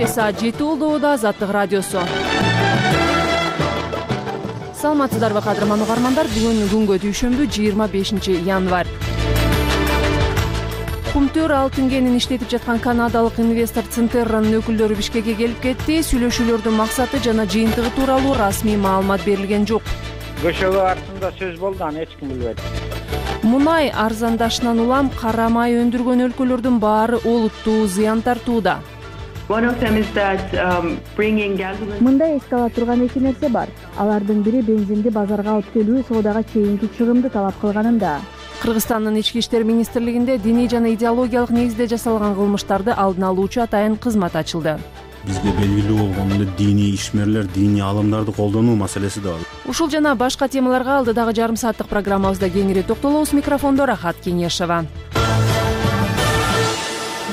Саат 7 болду. Азаттык радиосу. Саламатсыздарбы кадырман угармандар? Бүгүн күнгө дүйшөмбү 25 январь. Кумтөр алтын кенин иштетип жаткан канадалык инвестор Центерранын өкүлдөрү Бишкекке келип кетти. Сүйлөшүүлөрдүн максаты жана жыйынтыгы тууралуу расмий маалымат берилген жок. Көшөгө артында сөз болду, аны эч ким билбейт. Мунай арзандашынан улам кара май өндүргөн өлкөлөрдүн баары олуттуу зыян тартууда. Мындай эске ала турган эки нерсе бар. Алардын бири бензинди базарга алып келүү соодага чейинки чыгымды талап кылганында. Кыргызстандын ички иштер министрлигинде диний жана идеологиялык негизде жасалган кылмыштарды алдын алуучу атайын кызмат ачылды. Бизде белгилүү болгон эле диний ишмерлер, диний алымдарды колдонуу маселеси да бар. Ушул жана башка темаларга алдыдагы жарым сааттык программабызда кеңири токтолобуз. Микрофондо Рахат Кеңешова.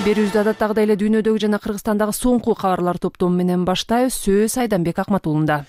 Берүүбүздү адаттагыдай эле дүйнөдөгү жана Кыргызстандагы соңку кабарлар топтому менен баштайбыз. Сөз Айданбек Акматуулунда.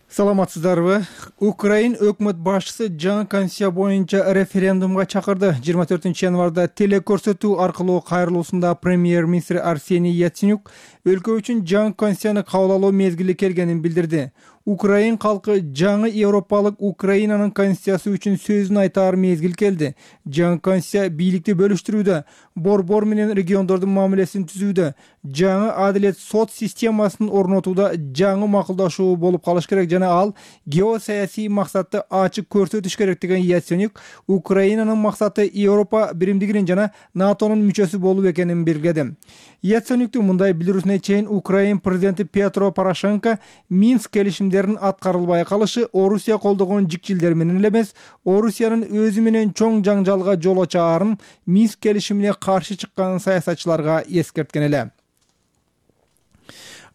Саламатсыздарбы? Украин өкмөт башчысы жаңы конституция боюнча референдумга чакырды. 24 январда телекөрсөтүү аркылуу кайрылуусунда премьер-министр Арсений Яценюк өлкө үчүн жаңы конституцияны кабыл алуу мезгили келгенин билдирди. Украин калкы жаңы европалык Украинанын конституциясы үчүн сөзүн айтаар мезгил келди. Жаңы конституция бийликти бөлүштүрүүдө, борбор менен региондордун мамилесин түзүүдө, жаңы адилет сот системасын орнотууда жаңы макулдашуу болуп калыш керек жана ал геосаясий максатты ачык көрсөтүш керек деген Яценюк Украинанын максаты Европа биримдигинин жана НАТОнун мүчөсү болуу экенин белгиледи. Яценюктун мындай билдирүүсүнө чейин Украин президенти Петро Порошенко Минск келишимдеринин аткарылбай калышы Орусия колдогон жикчилдер менен эле эмес, Орусиянын өзү менен чоң жаңжалга жол ачаарын Минск келишимине каршы чыккан саясатчыларга эскерткен эле.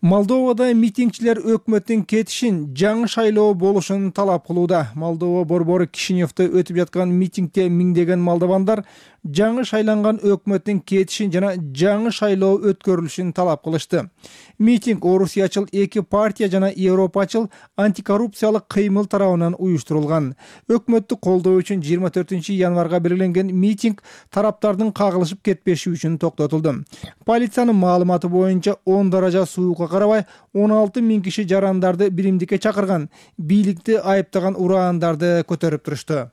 Молдовада митингчилер өкмөттүн кетишин, жаңы шайлоо болушун талап кылууда. Молдова борбору Кишиневде өтүп жаткан митингде миңдеген молдовандар жаңы шайланган өкмөттүн кетишин жана жаңы шайлоо өткөрүлүшүн талап кылышты. Митинг Орусиячыл эки партия жана Европачыл антикоррупциялык кыймыл тарабынан уюштурулган. Өкмөттү колдоо үчүн 24 январга белгиленген митинг тараптардын кагылышып кетпеши үчүн токтотулду. Полициянын маалыматы боюнча 10 даража суукка карабай 16 000 киши жарандарды биримдикке чакырган, бийликти айыптаган ураандарды көтөрүп турушту.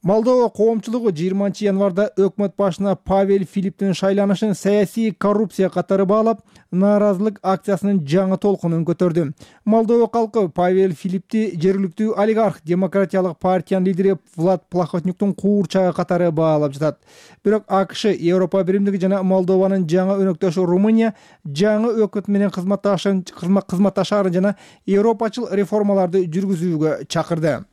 Молдова коомчулугу 20 январда өкмөт башына Павел Филипптин шайланышын саясий коррупция катары баалап, нааразылык акциясынын жаңы толкунун көтөрдү. Молдова калкы Павел Филиппти жергиликтүү олигарх Демократиялык партиянын лидери Влад Плахотнюктун куурчагы катары баалап жатат. Бирок АКШ, Европа биримдиги жана Молдованын жаңы өнөктөшү Румыния жаңы өкмөт менен кызматташаарын жана европачыл реформаларды жүргүзүүгө чакырды.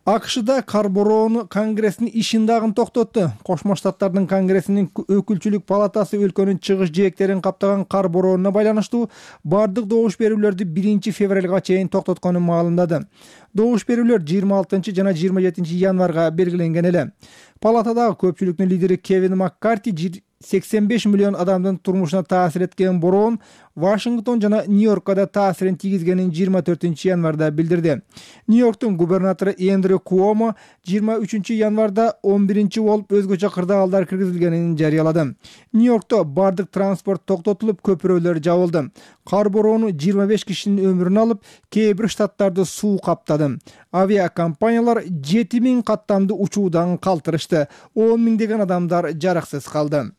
АКШда Карбороонун конгрессинин ишин дагы токтотту. Кошмо Штаттардын конгрессинин өкүлчүлүк палатасы өлкөнүн чыгыш жээктерин каптаган Карбороону байланыштуу бардык добуш берүүлөрдү 1 февралга чейин токтотконун маалымдады. Добуш берүүлөр 26 жана 27 январга белгиленген эле. Палатадагы көпчүлүктүн лидери Кевин Маккарти 85 миллион адамдын турмушуна таасир эткен бороон Вашингтон жана Нью-Йоркко да таасирин тийгизгенин 24 январда билдирди. Нью-Йорктун губернатору Эндрю Куомо 23 январда 11 болуп өзгөчө кырдаалдар киргизилгенин жарыялады. Нью-Йоркто бардык транспорт токтотулуп, көпүрөлөр жабылды. Кар бороону 25 кишинин өмүрүн алып, кээ бир штаттарды суу каптады. Авиакомпаниялар 7000 каттамды учуудан калтырышты. 10 миңдеген адамдар жараксыз калды.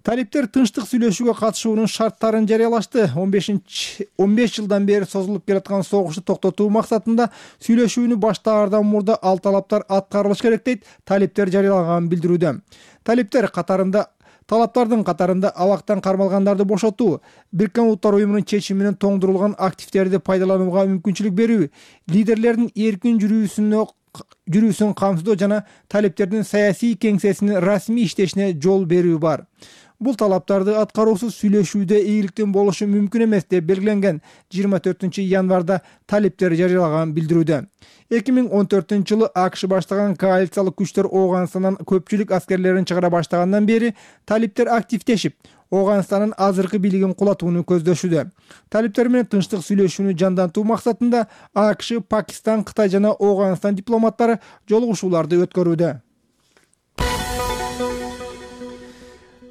Талиптер тынчтык сүйлөшүүгө катышуунун шарттарын жарыялашты. 15 жылдан бери созулуп келаткан согушту токтотуу максатында сүйлөшүүнү баштаардан мурда ал талаптар аткарылыш керек дейт талиптер жарыялаган билдирүүдө. Талаптардын катарында абактан кармалгандарды бошотуу, Бириккен Улуттар уюмунун чечими менен тоңдурулган активдерди пайдаланууга мүмкүнчүлүк берүү, лидерлердин эркин жүрүүсүн камсыздоо жана талиптердин саясий кеңсесинин расмий иштешине жол берүү бар. Бул талаптарды аткаруусуз сүйлөшүүдө ийгиликтүү болушу мүмкүн эмес деп белгиленген 24 январда талиптер жарыялаган билдирүүдө. 2014-жылы АКШ баштаган коалициялык күчтөр Ооганстандан көпчүлүк аскерлерин чыгара баштагандан бери талиптер активдешип, Ооганстандын азыркы бийлигин кулатууну көздөшүүдө. Талиптер менен тынчтык сүйлөшүүнү жандантуу максатында АКШ, Пакистан, Кытай жана Ооганстан дипломаттары жолугушууларды өткөрүүдө.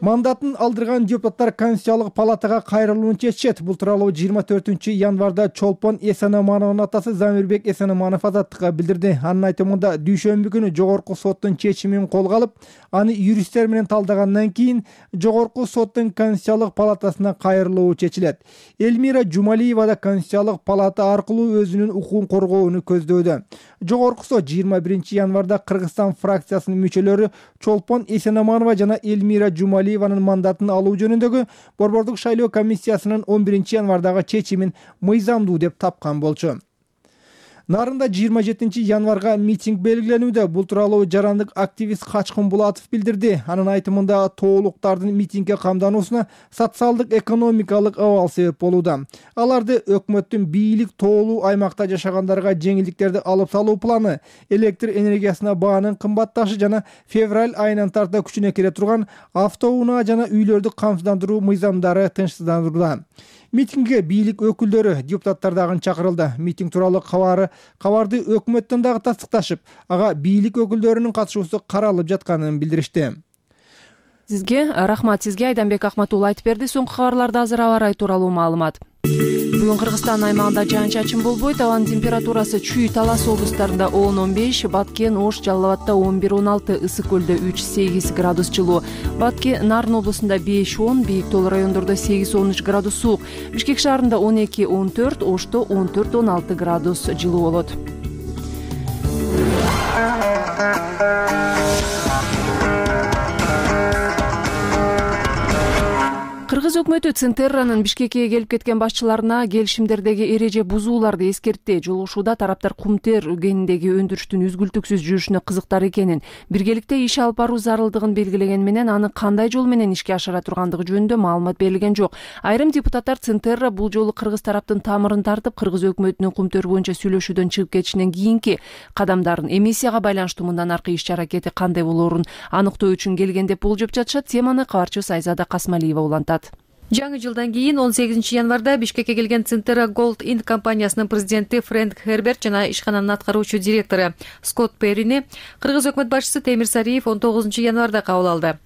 Мандатын алдырган депутаттар Конституциялык палатага кайрылууну чечишет. Бул тууралуу 24 январда Чолпон Эсенамановдун атасы Замирбек Эсенаманов азаттыкка билдирди. Анын айтымында дүйшөмбү күнү Жогорку соттун чечимин колго алып, аны юристтер менен талдагандан кийин Жогорку соттун Конституциялык палатасына кайрылуу чечилет. Элмира Жумалиева да Конституциялык палата аркылуу өзүнүн укугун коргоону көздөдө. Жогорку сот 21 январда Кыргызстан фракциясынын мүчөлөрү Чолпон Эсенаманова жана Элмира Жумалиеванын мандатын алуу жөнүндөгү борбордук шайлоо комиссиясынын 11 январдагы чечимин мыйзамдуу деп тапкан болчу. Нарында 27 январга митинг белгиленүүдө. Бул тууралуу жарандык активист Качкын Булатов билдирди. Анын айтымында тоолуктардын митингге камдануусуна социалдык экономикалык абал себеп болууда. Аларды өкмөттүн бийлик тоолуу аймакта жашагандарга жеңилдиктерди алып салуу планы, электр энергиясына баанын кымбатташы жана февраль айынан тарта күчүнө кире турган автоунаа жана үйлөрдү камсыздандыруу мыйзамдары тынчсыздандырылган. Митингге бийлик өкүлдөрү, депутаттар дагы чакырылды. Митинг тууралуу кабарды өкмөттөн дагы тастыкташып, ага бийлик өкүлдөрүнүн катышуусу каралып жатканын билдиришти. Сизге рахмат. Сизге Айданбек Акматулла айтып берди. Соңку кабарларда азыр аба ырайы тууралуу маалымат. Бүгүн Кыргызстан аймагында жаан-чачын болбойт. Абанын температурасы Чүй, Талас облустарында 10-15, Баткен, Ош, Жалал абадда 11-16, Ысык көлдө 3-8 градус жылуу. Батке, Нарын облусунда 5-10, Бийик тоол райондордо 8-13 градус суук. Бишкек шаарында 12-14, Ошто 14-16 градус жылуу болот. Кыргыз өкмөтү Центерранын Бишкекке келип кеткен башчыларына келишимдердеги эреже бузууларды эскертти. Жолугушууда тараптар кумтер кениндеги өндүрүштүн үзгүлтүксүз жүрүшүнө кызыктар экенин, биргеликте иш алып баруу зарылдыгын белгилеген менен аны кандай жол менен ишке ашыра тургандыгы жөнүндө маалымат берилген жок. Айрым депутаттар Центерра бул жолу Кыргыз тараптын тамырын тартып, Кыргыз өкмөтүнүн кумтөр боюнча сүйлөшүүдөн чыгып кетишинен кийинки кадамдарын, эмиссияга байланыштуу мындан аркы иш-аракети кандай болоорун аныктоо үчүн келген деп болжоп жатышат. Теманы кабарчыбыз Айзада Касмалиева улантат. Жаңы жылдан кийин 18 январда Бишкекке келген Центера Gold Inc компаниясынын президенти Фрэнк Херберт жана ишкананын аткаруучу директору Скотт Перрини Кыргыз өкмөт башчысы Темир Сариев 19 январда кабыл алды.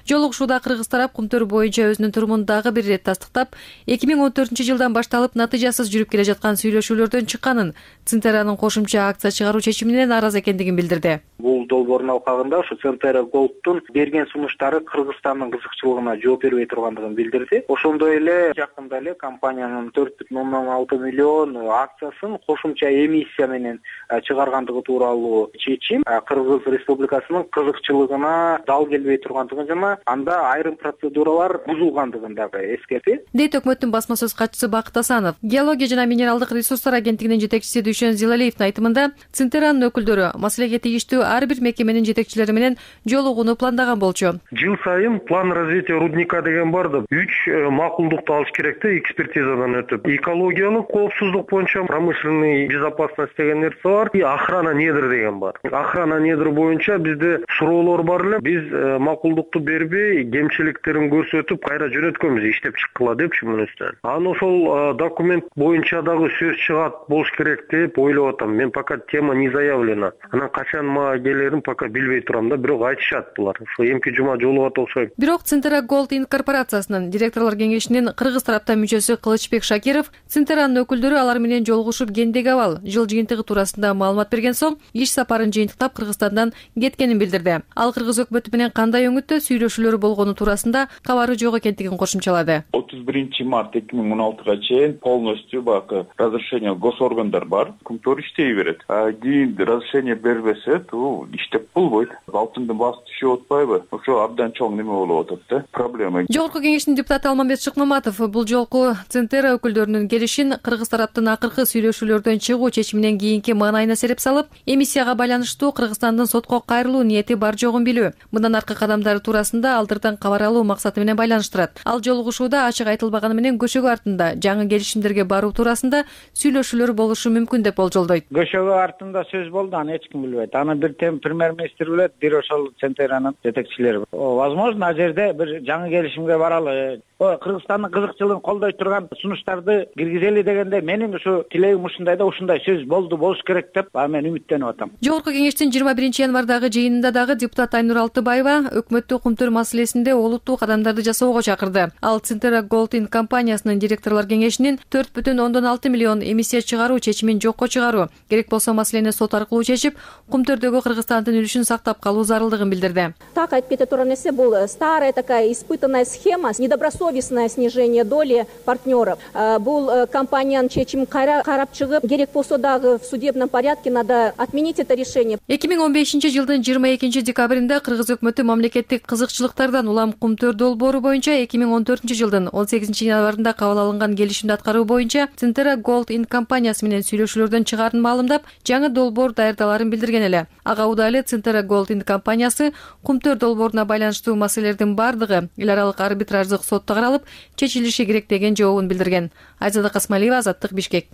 Жолугушууда Кыргыз тарап кумтөр боюнча өзүнүн турумун дагы бир ирет тастыктап, 2014 жылдан башталып натыйжасыз жүрүп келе жаткан сүйлөшүүлөрдөн чыкканын, Центеранын кошумча акция чыгаруу чечимине нааразы экендигин билдирди. Бул долбоордун алкагында ушу Центера Gold'тун берген сунуштары Кыргызстандын кызыкчылыгына жооп бербей тургандыгын билдирди. Ошондой эле жакында эле компаниянын 4,6 миллион акциясын кошумча эмиссия менен чыгаргандыгы тууралуу чечим Кыргыз Республикасынын кызыкчылыгына дал келбей тургандыгын жана анда айрым процедуралар бузулгандыгын дагы эскертти. Дейт өкмөттүн басма сөз катчысы Бакыт Асанов. Геология жана минералдык ресурстар агенттигинин жетекчиси Дүйшөн Зилалиевдин айтымында, Центеранын өкүлдөрү маселеге тийиштүү ар бир мекеменин жетекчилери менен жолугууну пландаган болчу. Жыл сайын план развития рудника деген бар да, 3 макулдукту алыш керек да, экспертизадан өтүп. Экологиялык коопсуздук боюнча промышленный безопасность деген нерсе бар, и охрана недр деген бар. Охрана недр боюнча бизде суроолор бар эле. Биз макулдукту бербей, кемчиликтерин көрсөтүп, кайра жөнөткөнбүз иштеп чыккыла депчи мунустан. Аны ошол документ боюнча дагы сөз чыгат болуш керек деп ойлоп атам. Мен пока тема не заявлена. Анан качан мага келерин пока билбей турам да, бирок айтышат булар. Ошо эмки жума жолугат окшойт. Бирок Центера Gold Inc корпорациясынын директорлор кеңешинин Кыргыз тараптан мүчөсү Кылычбек Шакиров Центеранын өкүлдөрү алар менен жолугушуп кендеги абал, жыл жыйынтыгы туурасында маалымат берген соң, иш сапарын жыйынтыктап Кыргызстандан кеткенин билдирди. Ал Кыргыз өкмөтү менен кандай өңүттө сүйлөшүүлөр болгону туурасында кабары жок экендигин кошумчалады. 31 март 2016 чейин полностью бак разрешение госоргандар бар, кумтөр иштей берет. Кийин разрешение бербесе, то иштеп болбойт. Алтындын баасы түшүп атпайбы? Ошо абдан чоң неме болуп атат да, проблема. Жогорку кеңештин депутаты Салманбет Шыкмаматов бул жолку Центера өкүлдөрүнүн келишин кыргыз тараптын акыркы сүйлөшүүлөрдөн чыгуу чечиминен кийинки маанайына сереп салып, эмиссияга байланыштуу Кыргызстандын сотко кайрылуу ниети бар жогун билүү, мындан аркы кадамдары туурасында алдырдан кабар алуу максаты менен байланыштырат. Ал жолугушууда ачык айтылбаганы менен көчөгө артында жаңы келишимдерге баруу туурасында сүйлөшүүлөр болушу мүмкүн деп болжолдойт. Көчөгө артында сөз болду, аны эч ким билбейт. Аны бир премьер-министр билет, бир ошол Центеранын жетекчилери. Возможно, ал жерде бир жаңы келишимге баралы. Кыргызстандын кызыкчылыгын колдой турган сунуштарды киргизели дегенде менин ушу тилегим ушундай да, ушундай сөз болуш керек деп мен үмүттөнүп атам. Жогорку кеңештин 21-январдагы жыйынында дагы депутат Айнур Алтыбаева өкмөттү кумтөр маселесинде олуттуу кадамдарды жасоого чакырды. Ал Центера Gold Inc компаниясынын директорлор кеңешинин 4,6 миллион эмиссия чыгаруу чечимин жокко чыгаруу, керек болсо маселени сот аркылуу чечип, кумтөрдөгү Кыргызстандын үлүшүн сактап калуу зарылдыгын билдирди. Так айтып кете турган нерсе, бул старая такая испытанная схема, недобросовестное снижение доли партнеров. Бул компаниянын чечимин карап чыгып, керек болсо дагы в судебном порядке надо отменить это решение. 2015-жылдын 22-декабрында кыргыз өкмөтү мамлекеттик кызыкчылыктардан улам кумтөр долбоору боюнча 2014-жылдын 18-январында кабыл алынган келишимди аткаруу боюнча Центера Gold Inc компаниясы менен сүйлөшүүлөрдөн чыгаарын маалымдап, жаңы долбоор даярдаларын билдирген эле. Ага удайлы Центера Gold Inc компаниясы кумтөр долбооруна байланыштуу маселелердин бардыгы эл аралык арбитраждык сотто каралып, чечилиши керек деген жообун билдирген. Айзада Касмалиева, Азаттык, Бишкек.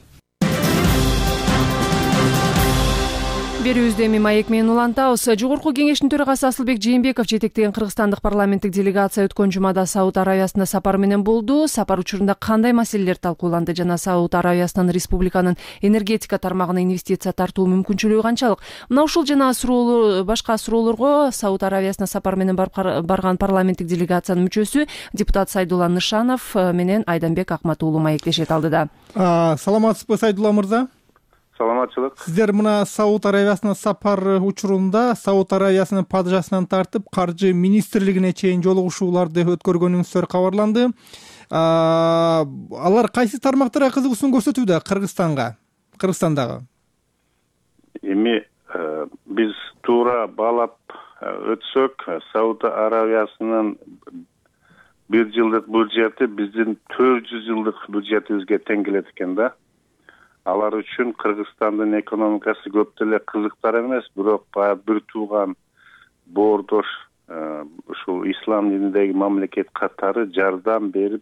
Берүүбүздү эми маек менен улантабыз. Жогорку кеңештин төрагасы Асылбек Жээнбеков жетектеген кыргызстандык парламенттик делегация өткөн жумада Сауд Аравиясына сапар менен болду. Сапар учурунда кандай маселелер талкууланды жана Сауд Аравиясынын республиканын энергетика тармагына инвестиция тартуу мүмкүнчүлүгү канчалык? Мына ушул жана башка суроолорго Сауд Аравиясына сапар менен барган парламенттик делегациянын мүчөсү депутат Сайдулла Нышанов менен Айданбек Акмат уулу маектешет алдыда. Саламатсызбы, Сайдулла мырза? Саламатчылык. Сиздер мына Сауд Аравиясына сапар учурунда Сауд Аравиясынын падышасынан тартып каржы министрлигине чейин жолугушууларды өткөргөнүңүздөр кабарланды. Алар кайсы тармактарга кызыгуусун көрсөтүүдө Кыргызстандагы? Эми биз туура баалап өтсөк, Сауд Аравиясынын 1 жылдык бюджети биздин 400 жылдык бюджетибизге тең келет экен да. Алар үчүн Кыргызстандын экономикасы көп деле кызыктар эмес, бирок баягы бир тууган боордош ушул ислам дининдеги мамлекет катары жардам берип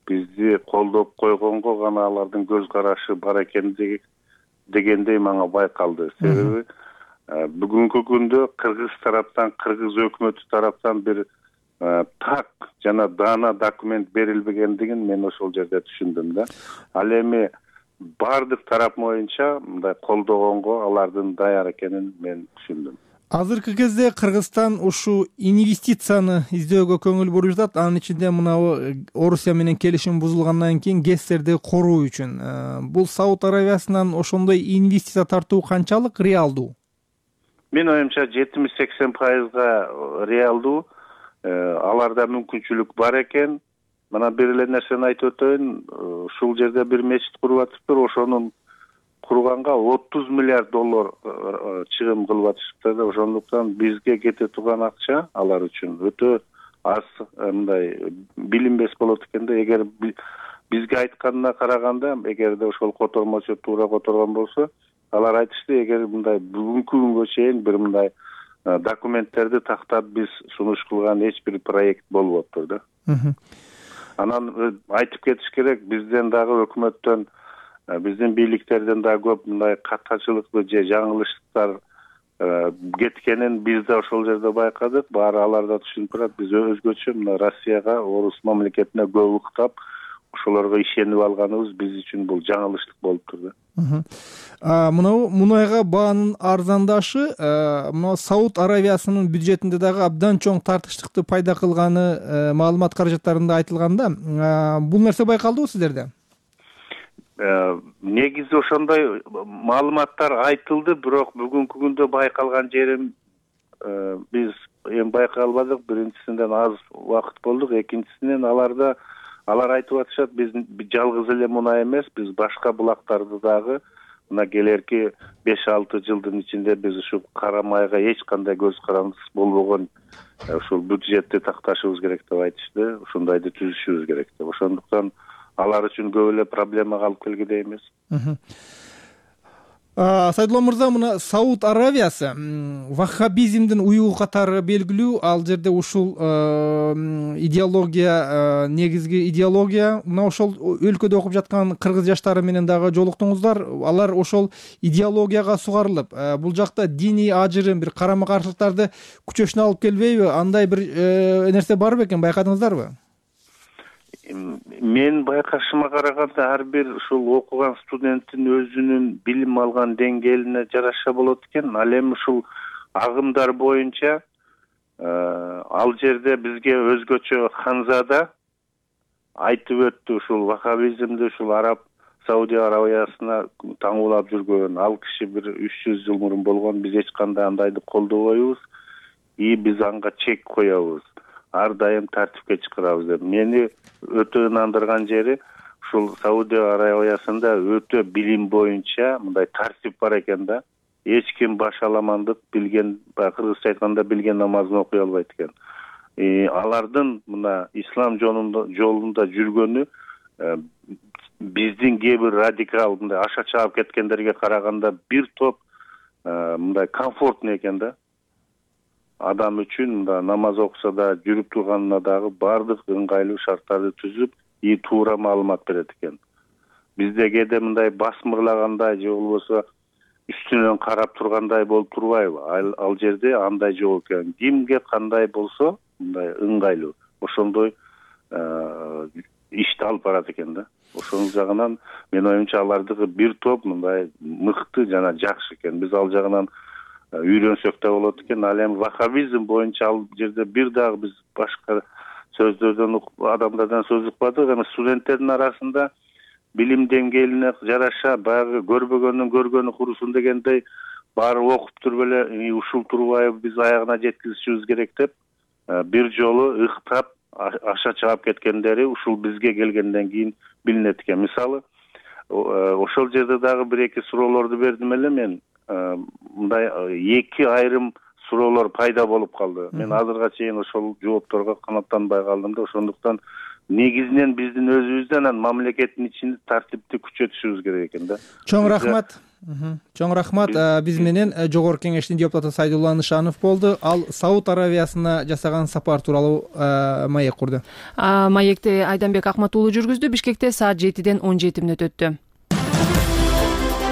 бизди колдоп койгонго гана алардын көз карашы бар экен дегендей мага байкалды. Себеби бүгүнкү күндө кыргыз тараптан, кыргыз өкмөтү тараптан бир так жана даана документ берилбегендигин мен ошол жерде түшүндүм да. Ал эми бардык тарап боюнча мындай колдогонго алардын даяр экенин мен түшүндүм. Азыркы кезде Кыргызстан ушу инвестицияны издөөгө көңүл буруп жатат. Анын ичинде мынабу Орусия менен келишим бузулгандан кийин ГЭСтерди коруу үчүн. Бул Сауд Аравиясынан ошондой инвестиция тартуу канчалык реалдуу? Мен оюмча 70-80% реалдуу. Аларда мүмкүнчүлүк бар экен. Мына бир эле нерсени айтып өтөйүн. Ушул жерде бир мечит куруп атыптыр. Ошонун курганга $30 миллиард чыгым кылып атышыптыр. Ошондуктан бизге кете турган акча алар үчүн өтө аз, мындай билинбес болот экен да. Эгер бизге айтканына караганда, эгерде ошол котормочу туура которгон болсо, алар айтышты, эгер мындай бүгүнкү күнгө чейин бир мындай документтерди тактап биз сунуш кылган эч бир проект болбоптур да. Анан айтып кетиш керек, бизден дагы өкмөттөн, биздин бийликтерден дагы көп мындай каттачылыктуу же жаңылыштар кеткенин биз да ошол жерде байкадык. Баары алар да түшүнүп турат. Биз өзгөчө мына Россияга, орус мамлекетине көп уктап, ошолорго ишенип алганыбыз биз үчүн бул жаңылыштык болуптур да. Мынау мунайга баанын арзандашы Сауд Аравиясынын бюджетинде дагы абдан чоң тартыштыкты пайда кылганы маалымат каражаттарында айтылганда, бул нерсе байкалдыбы сиздерде? Негизи ошондой маалыматтар айтылды, бирок бүгүнкү күндө байкалган жерим биз эми байкай албадык. Биринчисинен аз убакыт болдук, экинчисинен алар айтып атышат, биз жалгыз эле мунай эмес, биз башка булактарды дагы мына келерки 5-6 жылдын ичинде биз ушул кара майга эч кандай көз карандысыз болбогон ушул бюджетти такташыбыз керек деп айтышты. Ушундайды түзүшүбүз керек деп. Ошондуктан алар үчүн көп эле проблемага алып келгидей эмес. Сайдулла мырза, мына Сауд Аравиясы ваххабизмдин уюгу катары белгилүү. Ал жерде ушул идеология, негизги идеология. Мына ошол өлкөдө окуп жаткан кыргыз жаштары менен дагы жолуктуңуздар. Алар ошол идеологияга сугарылып, бул жакта диний ажырым, бир карама каршылыктарды күчөшүнө алып келбейби? Андай бир нерсе бар бекен, байкадыңыздарбы? Мен байкашыма караганда ар бир ушул окуган студенттин өзүнүн билим алган деңгээлине жараша болот экен. Ал эми ушул агымдар боюнча ал жерде бизге өзгөчө Ханзада айтып өттү. Ушул ваххабизмди ушул Саудия Аравиясына таңуулап жүргөн ал киши бир 300 жыл мурун болгон. Биз эч кандай андайды колдобойбуз и биз анга чек коебуз. Ар дайым тартипке чакырабыз деп. Мени өтө ынандырган жери ушул Саудия Аравиясында өтө билим боюнча мындай тартип бар экен да. Эч ким башаламандык билген, кыргызча айтканда билген намазын окуй албайт экен. Алардын мына ислам жолунда жүргөнү биздин кээ бир радикал мындай аша чаап кеткендерге караганда бир топ мындай комфортный экен да. Адам үчүн мында намаз окуса да, жүрүп турганына дагы бардык ыңгайлуу шарттарды түзүп, туура маалымат берет экен. Бизде кээде мындай басмырлагандай же болбосо үстүнөн карап тургандай болуп турбайбы? Ал жерде андай жок экен. Кимге кандай болсо, мындай ыңгайлуу. Ошондой ишти алып барат экен да. Ошонун жагынан мен оюмча алардыгы бир топ мындай мыкты жана жакшы экен. Биз ал жагынан үйрөнсөк да болот экен. Ал эми ваххабизм боюнча ал жерде бир дагы биз башка сөздөрдөн адамдардан сөз укпадык. Эми студенттердин арасында билим деңгээлине жараша баягы көрбөгөндүн көргөнү курусун дегендей баары окуп туруп эле ушул турбайбы биз аягына жеткизишибиз керек деп бир жолу ыктап аша чаап кеткендери ушул бизге келгенден кийин билинет экен. Мисалы ошол жерде дагы бир-эки суроолорду бердим эле мен. Мындай эки айрым суроолор пайда болуп калды. Мен азырга чейин ошол жоопторго канааттанбай калдым да. Ошондуктан негизинен биздин өзүбүздөн анан мамлекеттин ичинде тартипти күчөтүшүбүз керек экен да. Чоң рахмат. Чоң рахмат. Биз менен Жогорку Кеңештин депутаты Сайдулла Нышанов болду. Ал Сауд Аравиясына жасаган сапар тууралуу маек курду. Маекти Айданбек Акматуулу жүргүздү. Бишкекте саат 7-ден 17 мүнөт өттү.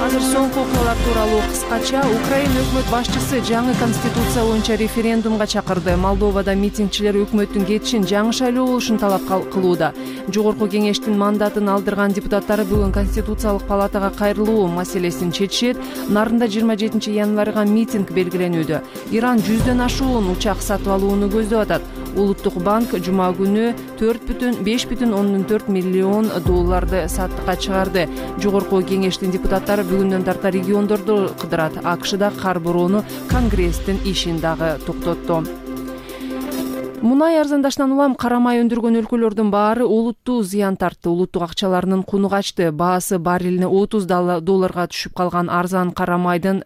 Азыр соңку окуялар тууралуу кыскача. Украина өкмөт башчысы жаңы конституция боюнча референдумга чакырды. Молдовада митингчилер өкмөттүн кетишин жаңы шайлоо болушун талап кылууда. Жогорку Кеңештин мандатын алдырган депутаттары бүгүн Конституциялык палатага кайрылуу маселесин чечишет. Нарында 27 январга митинг белгиленүүдө. Иран 100дөн ашуун учак сатып алууну көздөп атат. Улуттук банк жума күнү 5,4 миллион долларды саттыкка чыгарды. Жогорку Кеңештин депутаттары бүгүндөн тарта региондорду кыдырат. АКШда кар бороону Конгресстин ишин дагы токтотту. Мунай арзандашынан улам карамай өндүргөн өлкөлөрдүн баары олуттуу зыян тартты. Улуттук акчаларынын куну качты. Баасы баррелине $30 түшүп калган арзан карамайдан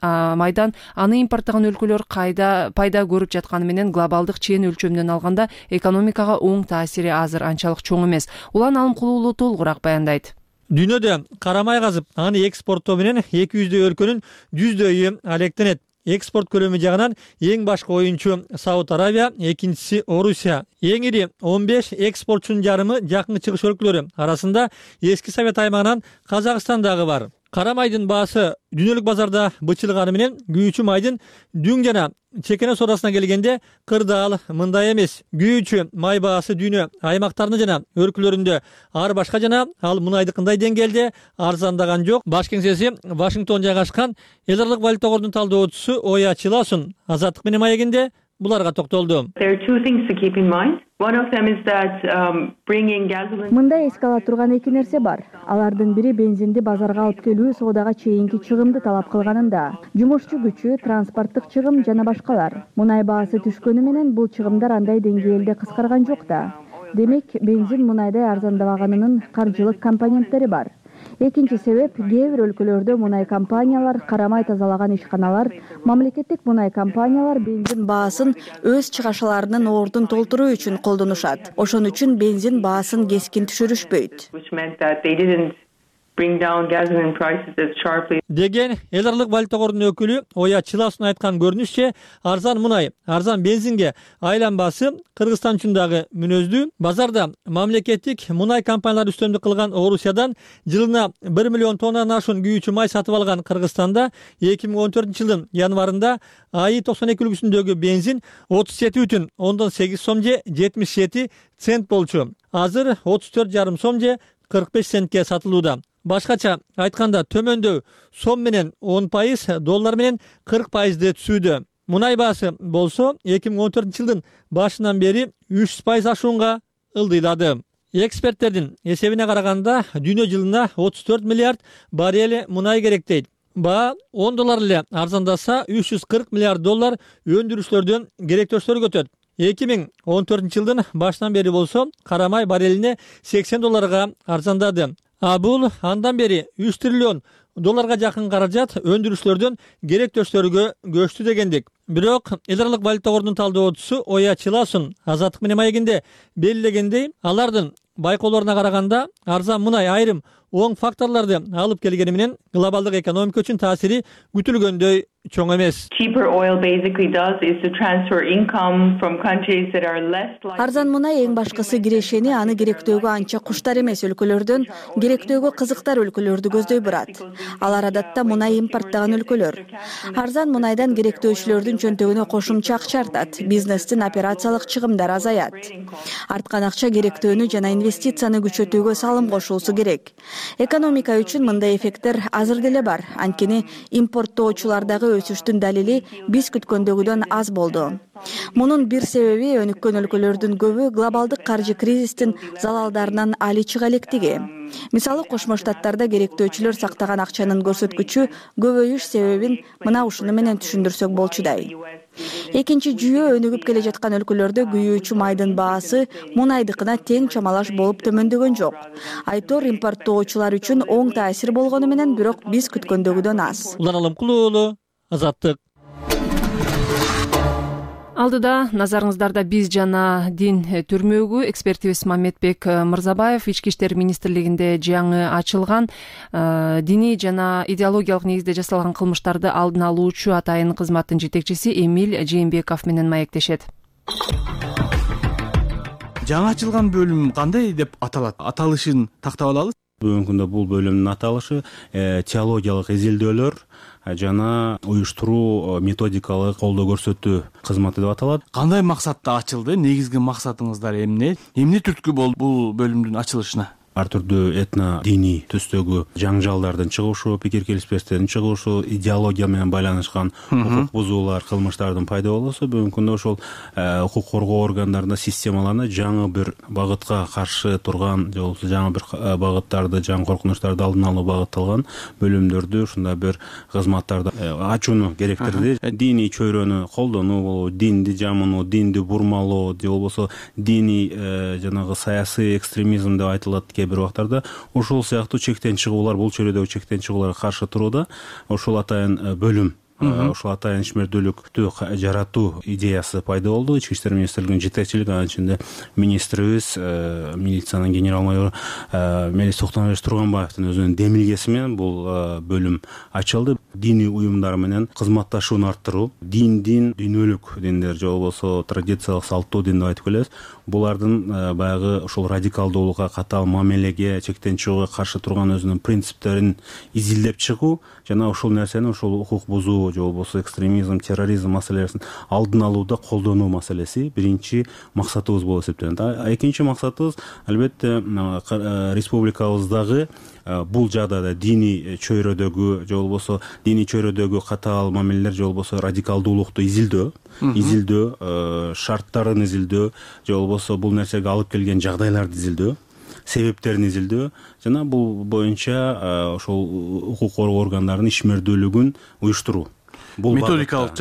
аны импорттогон өлкөлөр пайда көрүп жатканы менен глобалдык чейин өлчөмүнөн алганда экономикага оң таасири азыр анчалык чоң эмес. Улан Алымкулуулу толугураак баяндайт. Дүйнөдө карамай казып, аны экспорттоо менен 200 өлкөнүн 100 алектенет. Экспорт көлөмү жагынан эң башкы оюнчу Сауд Аравия, экинчиси Орусия. Эң ири 15 экспортчунун жарымы жакынкы чыгыш өлкөлөрү арасында эски Совет аймагынан Казакстан дагы бар. Карамайдын баасы дүйнөлүк базарда бычылганы менен күйүүчү майдын дүң жана чекене содасына келгенде кырдаал мындай эмес. Күйүүчү май баасы дүйнө аймактарында жана өлкөлөрүндө ар башка жана ал мунайдыкындай деңгээлде арзандаган жок. Баш кеңсеси Вашингтон жайгашкан эл аралык валюта кордунун талдоочусу Оя Чиласун Азаттык менен маегинде буларга токтолду. Мында эске ала турган эки нерсе бар. Алардын бири бензинди базарга алып келүү соодага чейинки чыгымды талап кылганында. Жумушчу күчү, транспорттук чыгым жана башкалар. Мунай баасы түшкөнү менен бул чыгымдар андай деңгээлде кыскарган жок да. Демек, бензин мунайдай арзандабаганынын каржылык компоненттери бар. Экинчи себеп кээ бир өлкөлөрдө мунай компаниялар, карамай тазалаган ишканалар, мамлекеттик мунай компаниялар бензин баасын өз чыгашаларынын ордун толтуруу үчүн колдонушат. Ошон үчүн бензин баасын кескин түшүрүшпөйт деген эл аралык валюта корунун өкүлү Оя Чиласунун айткан көрүнүшчө арзан мунай, арзан бензинге айланбасы Кыргызстан үчүн дагы мүнөздүү. Базарда мамлекеттик мунай компаниялары үстөмдүк кылган Орусиядан жылына 1 миллион тоннадан ашуун күйүүчү май сатып алган Кыргызстанда 2014-жылдын январында АИ 92 үлгүсүндөгү бензин 37,8 сом же 77 цент болчу. Азыр 34,5 сом же 45 центке сатылууда. Башкача айтканда төмөндөө сом менен 10%, доллар менен 40% түшүүдө. Мунай баасы болсо 2014-жылдын башынан бери 300% ашуунга ылдыйлады. Эксперттердин эсебине караганда дүйнө жылына 34 миллиард баррель мунай керек дейт. Баа $10 эле арзандаса 340 миллиард доллар өндүрүүчүлөрдөн керектөштөр өтөт. 2014-жылдын башынан бери болсо карамай баррелине $80 арзандады. Бул андан бери 3 триллион долларга жакын каражат өндүрүүчүлөрдөн керектөштөргө көчтү дегендик. Бирок эл аралык валюта корунун талдоочусу Оя Чиласун Азаттык менен маегинде белгилегендей, алардын байкоолоруна караганда арзан мунай айрым оң факторлорду алып келгени менен глобалдык экономика үчүн таасири күтүлгөндөй чоң эмес. Арзан мунай эң башкысы кирешени аны керектөөгө анча куштар эмес өлкөлөрдөн керектөөгө кызыктар өлкөлөрдү көздөй бурат. Алар адатта мунай импорттогон өлкөлөр. Арзан мунайдан керектөөчүлөрдүн чөнтөгүнө кошумча акча артат, бизнестин операциялык чыгымдары азаят. Арткан акча керектөөнү жана инвестицияны күчөтүүгө салым кошуусу керек. Экономика үчүн мындай эффекттер азыр деле бар. Анткени импорттоочулардагы өсүштүн далили биз күткөндөгүдөн аз болду. Мунун бир себеби өнүккөн өлкөлөрдүн көбү глобалдык каржы кризистин залалдарынан али чыга электиги. Мисалы Кошмо Штаттарда керектөөчүлөр сактаган акчанын көрсөткүчү көбөйүш себебин мына ушуну менен түшүндүрсөк болчудай. Экинчи жүйө өнүгүп келе жаткан өлкөлөрдө күйүүчү майдын баасы мунайдыкына тең чамалаш болуп төмөндөгөн жок. Айтор импорттоочулар үчүн оң таасир болгону менен бирок биз күткөндөгүдөн аз. Улан Алымкул уулу, Азаттык. Алдыда назарыңыздарда биз жана дин түрмөгү экспертибиз Мамедбек Мырзабаев Ички иштер министрлигинде жаңы ачылган диний жана идеологиялык негизде жасалган кылмыштарды алдын алуучу атайын кызматтын жетекчиси Эмиль Жээнбеков менен маектешет. Жаңы ачылган бөлүм кандай деп аталат? Аталышын тактап алалы. Бүгүнкү күндө бул бөлүмдүн аталышы теологиялык изилдөөлөр жана уюштуруу методикалык колдоо көрсөтүү кызматы деп аталат. Кандай максатта ачылды? Негизги максатыңыздар эмне? Эмне түрткү болду бул бөлүмдүн ачылышына? Ар түрдүү этно диний түстөгү жаңжалдардын чыгышы, пикир келишпестиктердин чыгышы, идеология менен байланышкан укук бузуулар, кылмыштардын пайда болуусу бүгүнкү күндө ошол укук коргоо органдарында системаларына жаңы бир багытка каршы турган же болбосо жаңы бир багыттарды, жаңы коркунучтарды алдын алуу багытталган бөлүмдөрдү ушундай бир кызматтарды ачууну керектирди. Диний чөйрөнү колдонуу болобу, динди жамынуу, динди бурмалоо же болбосо диний жанагы саясий экстремизм деп айтылат бир убактарда ошол сыяктуу чектен чыгуулар, бул чөйрөдөгү чектен чыгууларга каршы турууда ошол атайын бөлүм, ошол атайын ишмердүүлүктү жаратуу идеясы пайда болду. Ички иштер министрлигинин жетекчилиги, анын ичинде министрибиз, милициянын генерал майору Мелис Токтомбаевич Турганбаевдин өзүнүн демилгеси менен бул бөлүм ачылды. Диний уюмдар менен кызматташууну арттыруу, дүйнөлүк диндер же болбосо традициялык салттуу дин деп айтып келебиз. Булардын баягы ошол радикалдуулукка, катаал мамилеге, чектен чыгууга каршы турган өзүнүн принциптерин изилдеп чыгуу жана ошол нерсени, ошол укук бузуу же болбосо экстремизм, терроризм маселелерин алдын алууда колдонуу маселеси биринчи максатыбыз болуп эсептелет. Экинчи максатыбыз албетте республикабыздагы бул жагдайда диний чөйрөдөгү катаал мамилелер же болбосо радикалдуулукту изилдөө, шарттарын изилдөө же болбосо бул нерсеге алып келген жагдайларды изилдөө, себептерин изилдөө жана бул боюнча ошол укук коргоо органдарынын ишмердүүлүгүн уюштуруу. Бул методикалык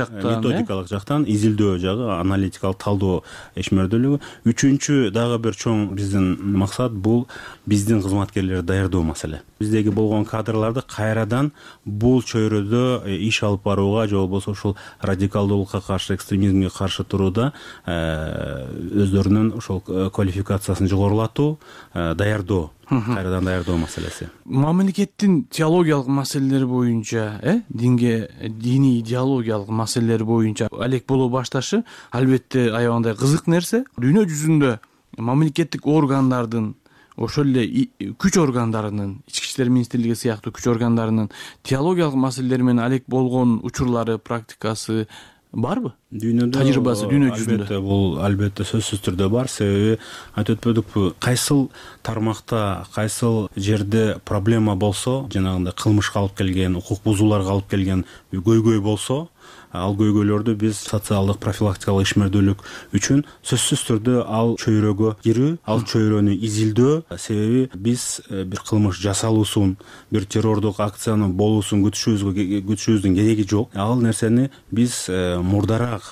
жактан изилдөө жагы, аналитикалык талдоо ишмердүүлүгү. Үчүнчү дагы бир чоң биздин максат бул биздин кызматкерлерди даярдоо маселе. биздеги болгон кадрларды кайрадан бул чөйрөдө иш алып барууга же болбосо ушул радикалдуулукка каршы, экстремизмге каршы турууда өздөрүнүн ушул квалификациясын жогорулатуу, даярдоо, кайрадан даярдоо маселеси. Мамлекеттин теологиялык маселелери боюнча, диний идеологиялык маселелери боюнча алек боло башташы албетте аябагандай кызык нерсе. Дүйнө жүзүндө мамлекеттик органдардын, ошол эле күч органдарынын, ички иштер министрлиги сыяктуу күч органдарынын теологиялык маселелер менен алек болгон учурлары, практикасы барбы? Дүйнөдө тажрыйбасы дүйнө жүзүндө бул албетте сөзсүз түрдө бар. Себеби айтып өтпөдүкпү, кайсыл тармакта, кайсыл жерде проблема болсо, жанагындай кылмышка алып келген, укук бузууларга алып келген көйгөй болсо, ал көйгөйлөрдү биз социалдык профилактикалык ишмердүүлүк үчүн сөзсүз түрдө ал чөйрөгө кирүү, ал чөйрөнү изилдөө. Себеби биз бир кылмыш жасалуусун, бир террордук акциянын болуусун күтүшүбүздүн кереги жок. Ал нерсени биз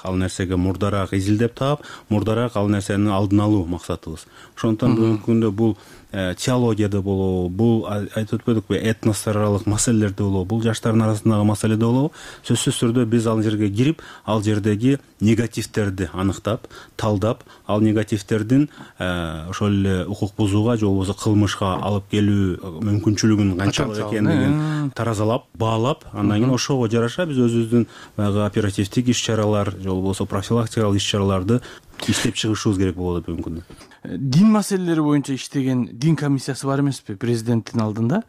ал нерсеге мурдараак изилдеп таап, мурдараак ал нерсенин алдын алуу максатыбыз. Ошондуктан бүгүнкү күндө бул теологияда болобу, бул айтып өтпөдүкпү, этностор аралык маселелерде болобу, бул жаштардын арасындагы маселеде болобу, сөзсүз түрдө биз ал жерге кирип, ал жердеги негативтерди аныктап, талдап, ал негативтердин ошол эле укук бузууга же болбосо кылмышка алып келүү мүмкүнчүлүгүн канчалык экендигин таразалап, баалап, андан кийин ошого жараша биз өзүбүздүн баягы оперативдик иш-чаралар же болбосо профилактикалык иш-чараларды иштеп чыгышыбыз керек болот бүгүнкү күндө. Дин маселелери боюнча иштеген дин комиссиясы бар эмеспи президенттин алдында?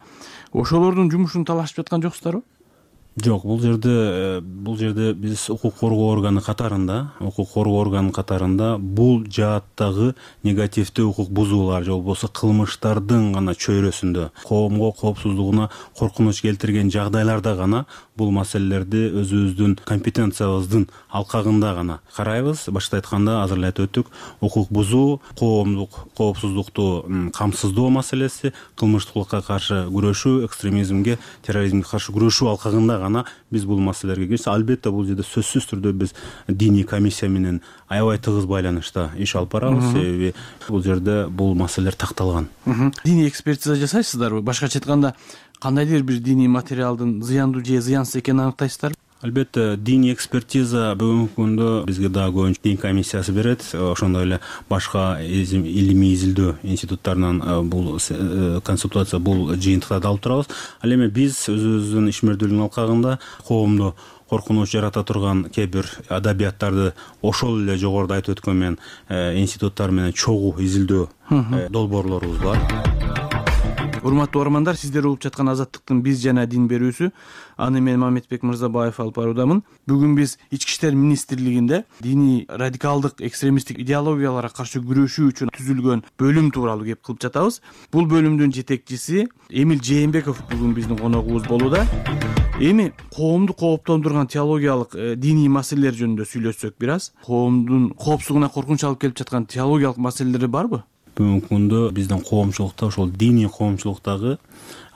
Ошолордун жумушун талашып жаткан жоксуздарбы? Жок, бул жерде биз укук коргоо органы катарында бул жааттагы негативдүү укук бузуулар же болбосо кылмыштардын гана чөйрөсүндө, коомго коопсуздугуна коркунуч келтирген жагдайларда гана бул маселелерди өзүбүздүн компетенциябыздын алкагында гана карайбыз. Башта айтканда азыр эле айтып өттүк, укук бузуу, коомдук коопсуздукту камсыздоо маселеси, кылмыштуулукка каршы күрөшүү, экстремизмге, терроризмге каршы күрөшүү алкагында биз бул маселелерге кирсек, албетте бул жерде сөзсүз түрдө биз диний комиссия менен аябай тыгыз байланышта иш алып барабыз. Себеби бул жерде бул маселелер такталган. Диний экспертиза жасайсыздарбы? Башкача айтканда, кандайдыр бир диний материалдын зыяндуу же зыянсыз экенин аныктайсыздарбы? Албетте, диний экспертиза бүгүнкү күндө бизге дагы көбүнчө дин комиссиясы берет. Ошондой эле башка илимий изилдөө институттарынан бул консультация, бул жыйынтыктарды алып турабыз. Ал эми биз өзүбүздүн ишмердүүлүктүн алкагында коомдо коркунуч жарата турган кээ бир адабияттарды ошол эле жогоруда айтып өткөн институттар менен чогуу изилдөө долбоорлорубуз бар. Урматтуу угармандар, сиздер угуп жаткан Азаттыктын биз жана дин берүүсү. Аны мен Мамедбек Мырзабаев алып баруудамын. Бүгүн биз Ички иштер министрлигинде диний радикалдык экстремисттик идеологияларга каршы күрөшүү үчүн түзүлгөн бөлүм тууралуу кеп кылып жатабыз. Бул бөлүмдүн жетекчиси Эмил Жээнбеков бүгүн биздин коногубуз болууда. Эми коомду кооптондурган теологиялык диний маселелер жөнүндө сүйлөшсөк бир аз. Коомдун коопсуздугуна коркунуч алып келип жаткан теологиялык маселелери барбы? Бүгүнкү күндө биздин коомчулукта, ошол диний коомчулуктагы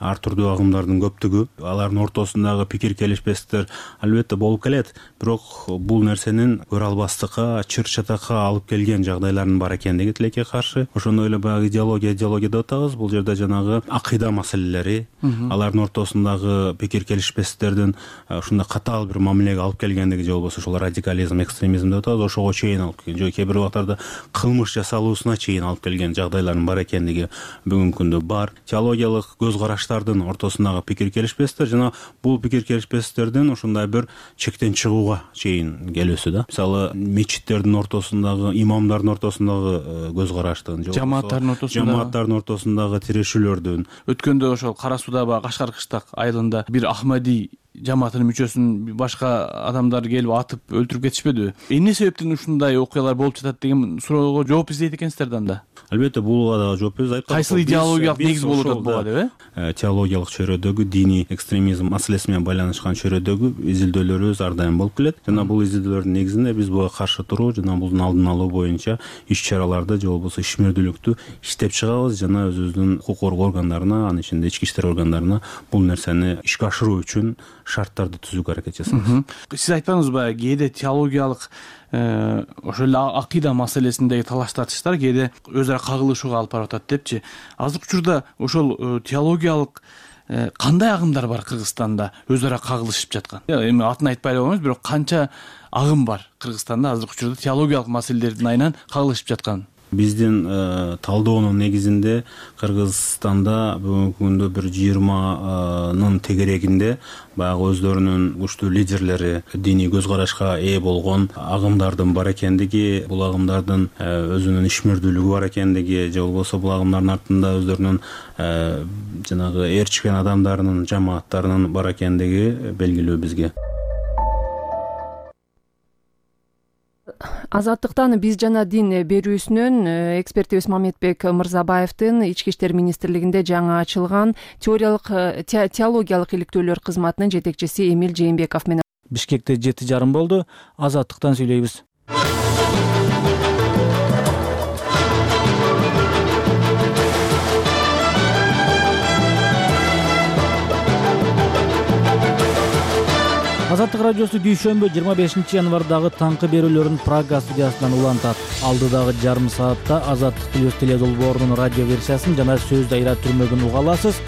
ар түрдүү агымдардын көптүгү, алардын ортосундагы пикир келишпестиктер албетте болуп келет. Бирок бул нерсенин көрө албастыкка, чыр чатакка алып келген жагдайлардын бар экендиги тилекке каршы. Ошондой эле баягы идеология деп атабыз. Бул жерде жанагы акыйда маселелери, алардын ортосундагы пикир келишпестиктердин ушундай катаал бир мамилеге алып келгендиги же болбосо ошол радикализм, экстремизм деп атабыз, ошого чейин алып келген, же кээ бир убактарда кылмыш жасалуусуна чейин алып келген жагдайлардын бар экендиги бүгүнкү күндө бар. Теологиялык көз караштардын ортосундагы пикир келишпестиктер жана бул пикир келишпестиктердин ушундай бир чектен чыгууга чейин келүүсү да. Мисалы, мечиттердин ортосундагы, имамдардын ортосундагы көз караштын, жамааттардын ортосундагы тирешүүлөрдүн. Өткөндө ошол Кара Суудагы Кашкар Кыштак айылында бир Ахмади жамаатынын мүчөсүн башка адамдар келип атып өлтүрүп кетишпедиби? Эмне себептен ушундай окуялар болуп жатат деген суроого жооп издейт экенсиздер да анда. Албетте, буга дагы жооп беребиз. Кайсыл идеологиялык негиз болуп атат буга деп? Теологиялык чөйрөдөгү диний экстремизм маселеси менен байланышкан чөйрөдөгү изилдөөлөрүбүз ар дайым болуп келет. Жана бул изилдөөлөрдүн негизинде биз буга каршы туруу жана булдун алдын алуу боюнча иш-чараларды же болбосо ишмердүүлүктү иштеп чыгабыз жана өзүбүздүн укук коргоо органдарына, анын ичинде ички иштер органдарына бул нерсени ишке ашыруу үчүн шарттарды түзүүгө аракет жасайбыз. Сиз айтпаңызбы, кээде теологиялык ошол эле акыйда маселесиндеги талаш тартыштар кээде өз ара кагылышууга алып барып атат депчи. Азыркы учурда ошол теологиялык кандай агымдар бар Кыргызстанда өз ара кагылышып жаткан? Эми атын айтпай эле койгоңуз, бирок канча агым бар Кыргызстанда азыркы учурда теологиялык маселелердин айынан кагылышып жаткан? Биздин талдоонун негизинде Кыргызстанда бүгүнкү күндө бир 20нын тегерегинде баягы өздөрүнүн күчтүү лидерлери, диний көз карашка ээ болгон агымдардын бар экендиги, бул агымдардын өзүнүн ишмердүүлүгү бар экендиги, же болбосо бул агымдардын артында өздөрүнүн жанагы ээрчишкен адамдарынын, жамааттарынын бар экендиги белгилүү бизге. Азаттыктан биз жана дин берүүсүнөн экспертибиз Мамедбек Мырзабаевдин Ички иштер министрлигинде жаңы ачылган теологиялык иликтөөлөр кызматынын жетекчиси Эмил Жээнбеков менен Бишкекте 7:30 болду. Азаттыктан сүйлөйбүз. Азаттык радиосу дүйшөмбү 25 январдагы таңкы берүүлөрүн Прага студиясынан улантат. Алдыдагы жарым саатта Азаттык плюс теледолбоорунун радио версиясын жана сөз дайра түрмөгүн уга аласыз.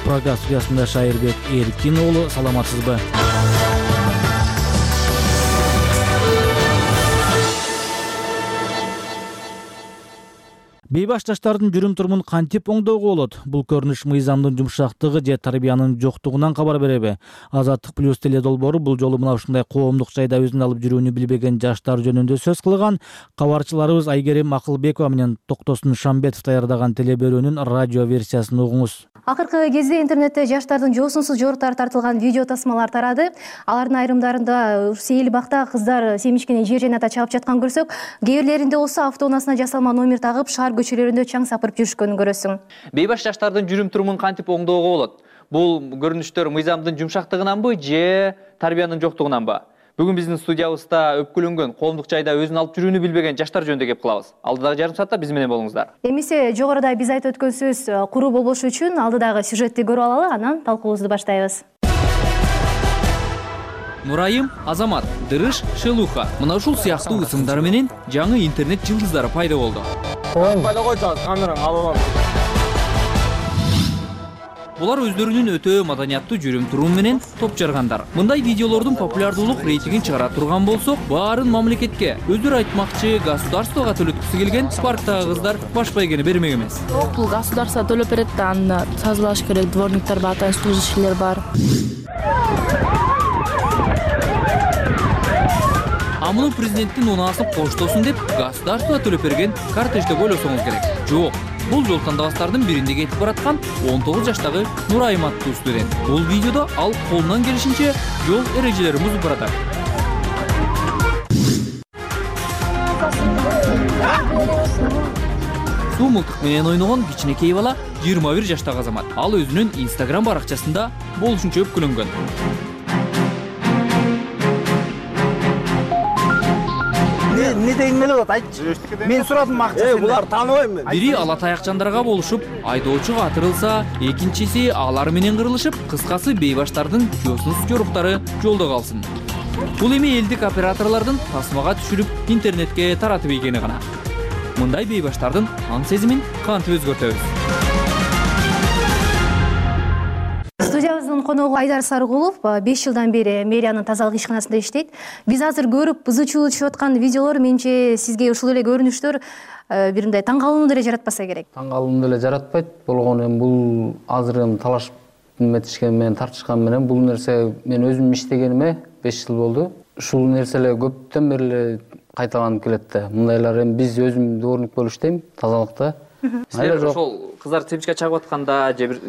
Прага студиясында Шайырбек Эркин уулу, саламатсызбы? Бейбаш жаштардын жүрүм-турумун кантип оңдоого болот? Бул көрүнүш мыйзамдын жумшактыгы же тарбиянын жоктугунан кабар береби? Азаттык плюс теледолбоору бул жолу мына ушундай коомдук жайда өзүн алып жүрүүнү билбеген жаштар жөнүндө сөз кылган. Кабарчыларыбыз Айгерим Акылбекова менен Токтосун Шамбетов даярдаган телеберүүнүн радио версиясын угуңуз. Акыркы кезде интернетте жаштардын жоосунсуз жоруктары тартылган видео тасмалар тарады. Алардын айрымдарында Сейил бакта кыздар семишкени жер жайната чабып жаткан көрсөк, кээ бирлеринде болсо автоунаасына жасалма номер тагып шаар көчөлөрүндө чаң сапырып жүрүшкөнүн көрөсүң. Бейбаш жаштардын жүрүм-турумун кантип оңдоого болот? Бул көрүнүштөр мыйзамдын жумшактыгынанбы же тарбиянын жоктугунанбы? Бүгүн биздин студиябызда өпкүлөнгөн коомдук жайда өзүн алып жүрүүнү билбеген жаштар жөнүндө кеп кылабыз. Алдыдагы жарым саатта биз менен болуңуздар. Эмесе жогоруда биз айтып өткөн сөз куруу болбошу үчүн алдыдагы сюжетти көрүп алалы, анан талкуубузду баштайбыз. Нурайым, Азамат, Дырыш, Шелуха. Мына ушул сыяктуу ысымдар менен жаңы интернет жылдыздары пайда болду. Пайда койчу, камераң алып алам. Булар өздөрүнүн өтө маданияттуу жүрүм-турум менен топ жаргандар. Мындай видеолордун популярдуулук рейтингин чыгара турган болсок, баарын мамлекетке, өздөрү айтмакчы государствого төлөткүсү келген парктагы кыздар баш байгени бермек эмес. Бул государство төлөп берет да, аны тазалаш керек, дворниктер бар, служащийлер бар. Амуну президенттин унаасын коштосун деп государство төлөп берген кортеж деп ойлосоңуз керек. Жок. Бул жол тандабастардын биринде кетип бараткан 19 жаштагы Нурайым аттуу студент. Бул видеодо ал колунан келишинче жол эрежелерин бузуп баратат. Суу мылтык менен ойногон кичинекей бала 21 жаштагы Азамат. Ал өзүнүн Instagram баракчасында болушунча өпкүлөнгөн. Не деген эле болот, айтчы. Мен сурадым акчасын. Булар тааныбайм мен. Бири ала таякчандарга болушуп, айдоочу катырылса, экинчиси алар менен кырылышып, кыскасы бейбаштардын жоосунсуз жоруктары жолдо калсын. Бул эми элдик операторлордун тасмага түшүрүп, интернетке таратып ийгени гана. Мындай бейбаштардын аң сезимин кантип өзгөртөбүз? Студиябыздын коногу Айдар Сарыгулов 5 жылдан бери мэриянын тазалык ишканасында иштейт. Биз азыр көрүп ызы чуу түшүп аткан видеолор менче сизге ушул эле көрүнүштөр биринде таң калууну деле жаратпаса керек. Таң калууну деле жаратпайт. Болгону эми бул азыр эми талашып метишкен менен тартышкан менен бул нерсе мен өзүм иштегениме 5 жыл болду. Ушул нерсе эле көптөн бери эле кайталанып келет да. Мындайлар эми биз өзүм дворник болуп иштейм тазалыкта. Силер ошол кыздар семчке чагып атканда же бир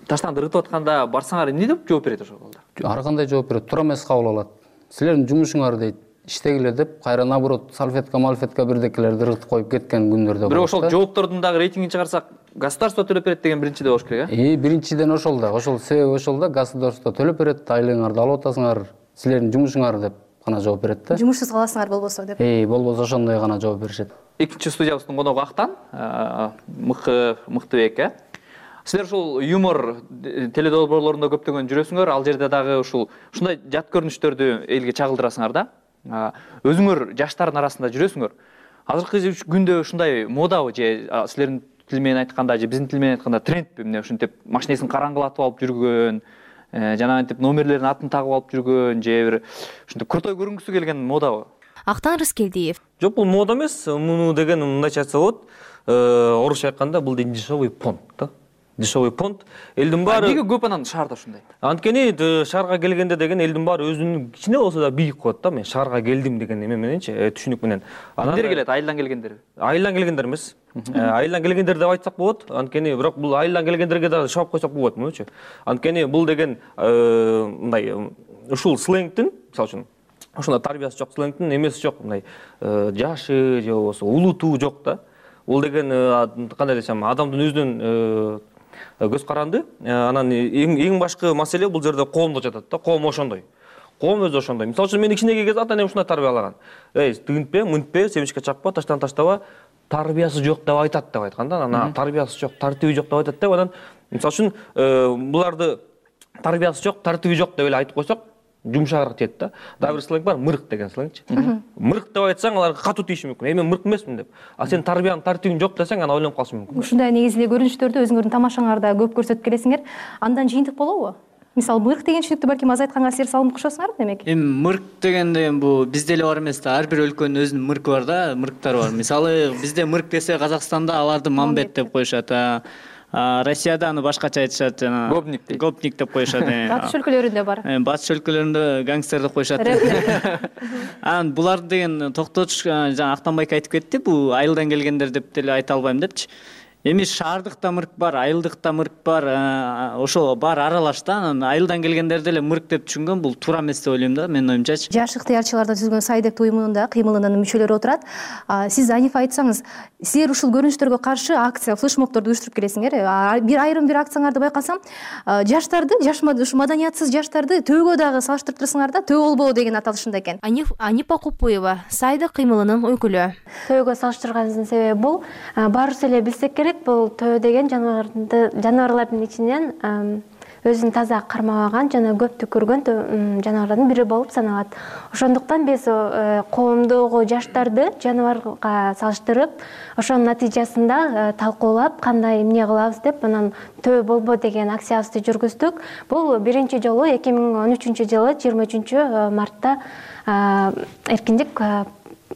таштан ыргытып атканда барсаңар эмне деп жооп берет ошол балдар? Ар кандай жооп берет, туура эмес кабыл алат. Силердин жумушуңар дейт, иштегиле деп, кайра наоборот салфетка бирдекелерди ыргытып коюп кеткен күндөр да бар. Бирок ошол жооптордун дагы рейтингин чыгарсак, государство төлөп берет деген биринчиде болуш керек, э? Биринчиден ошол да, ошол себеби ошол да, государство төлөп берет, айлыгыңарды алып атасыңар, силердин жумушуңар деп гана жооп берет да. Жумушсуз каласыңар болбосо деп. Болбосо ошондой гана жооп беришет. Экинчи студиябыздын коногу Актан, Мыктыбек, э? Силер ушул юмор теледолбоорлорунда көптөгөн жүрөсүңөр, ал жерде дагы ушундай жат көрүнүштөрдү элге чагылдырасыңар да. Өзүңөр жаштардын арасында жүрөсүңөр. Азыркы күндө ушундай модабы же силердин тил менен айтканда же биздин тил менен айтканда трендпи эмне ушинтип машинесин караңгылатып алып жүргөн, жанагынтип номерлердин атын тагып алып жүргөн же бир ушинтип крутой көрүнгүсү келген модабы? Актан Рыскелдиев. Жок, бул мода эмес. Муну деген мындайча айтса болот. Орусча айтканда бул дешевый понт да. Дешевый понт. Элдин баары Эмнеге көп анан шаарда ушундай? Анткени шаарга келгенде деген элдин баары өзүнүн кичине болсо да бийик коет да. Мен шаарга келдим деген эме мененчи, түшүнүк менен. Кимдер келет? Айылдан келгендер? Айылдан келгендер эмес. Айылдан келгендер деп айтсак болот. Анткени бирок бул айылдан келгендерге да шабып койсок болот мынучу. Анткени бул деген мындай ушул сленгтин, мисалы үчүн ошондо тарбиясы жок сленгтин эмеси жок, мындай жашы же болбосо улуту жок да. Бул деген кандай десем, адамдын өзүнүн көз каранды. Анан эң башкы маселе бул жерде коомдо жатат да. Коом ошондой. Коом өзү ошондой. Мисалы үчүн мени кичинеге кез ата энем ушундай тарбиялаган. Тигинтпе, мынтпе, семичке чакпа, таштан таштаба, тарбиясы жок деп айтат деп айткан да. Анан тарбиясы жок, тартиби жок деп айтат деп анан мисалы үчүн буларды тарбиясы жок, тартиби жок деп эле айтып койсок, жумшагыраак тиет да. Дагы бир сленг бар, мырык деген сленгчи. Мырык деп айтсаң, алар катуу тийиши мүмкүн. Мен мырык эмесмин деп. А сен тарбияң, тартибиң жок десең, аны ойлонуп калышы мүмкүн. Ушундай негизи эле көрүнүштөрдү өзүңөрдүн тамашаңарда көп көрсөтүп келесиңер. Андан жыйынтык болобу? Мисалы, мырык деген түшүнүктү балким аз айтканга силер салымды кошосуңарбы демек? Мырык дегенде бул бизде эле бар эмес да. Ар бир өлкөнүн өзүнүн мыркы бар да, мырыктары бар. Мисалы, бизде мырык десе Казакстанда аларды мамбет деп коюшат. Россияда аны башкача айтышат, жана гопник деп коюшат. Батыш өлкөлөрүндө бар. Батыш өлкөлөрүндө гангстер деп коюшат. Анан булар деген токтотуш, жана Актанбайка айтып кетти, бул айылдан келгендер деп деле айта албайм депчи. Эми шаардыкта мырк бар, айылдыкта мырк бар, ошол баары аралаш да. Анан айылдан келгендер деле мырк деп түшүнгөн, бул туура эмес деп ойлойм да, менин оюмчачы. Жаш ыктыярчылардан түзүлгөн Сайдек уюмунун кыймылынын мүчөлөрү отурат. Сиз Анифа айтсаңыз, силер ушул көрүнүштөргө каршы акция, флешмобдорду уюштуруп келесиңер. Бир акцияңарды байкасам, жаштарды, ушу маданиятсыз жаштарды төөгө дагы салыштырып турсуңар да, төө болбоо деген аталышында экен. Анифа Купуева, Сайдек кыймылынын өкүлү. Төөгө салыштырганыбыздын себеби бул, баарыбыз эле билсек керек, бул төө деген жаныбарлардын ичинен өзүн таза кармабаган жана көп түкүргөн жаныбарлардын бири болуп саналат. Ошондуктан биз коомдогу жаштарды жаныбарга салыштырып, ошонун натыйжасында талкуулап, кандай эмне кылабыз деп, анан төө болбо деген акциябызды жүргүздүк. Бул биринчи жолу 2013 жылы 23 мартта Эркиндик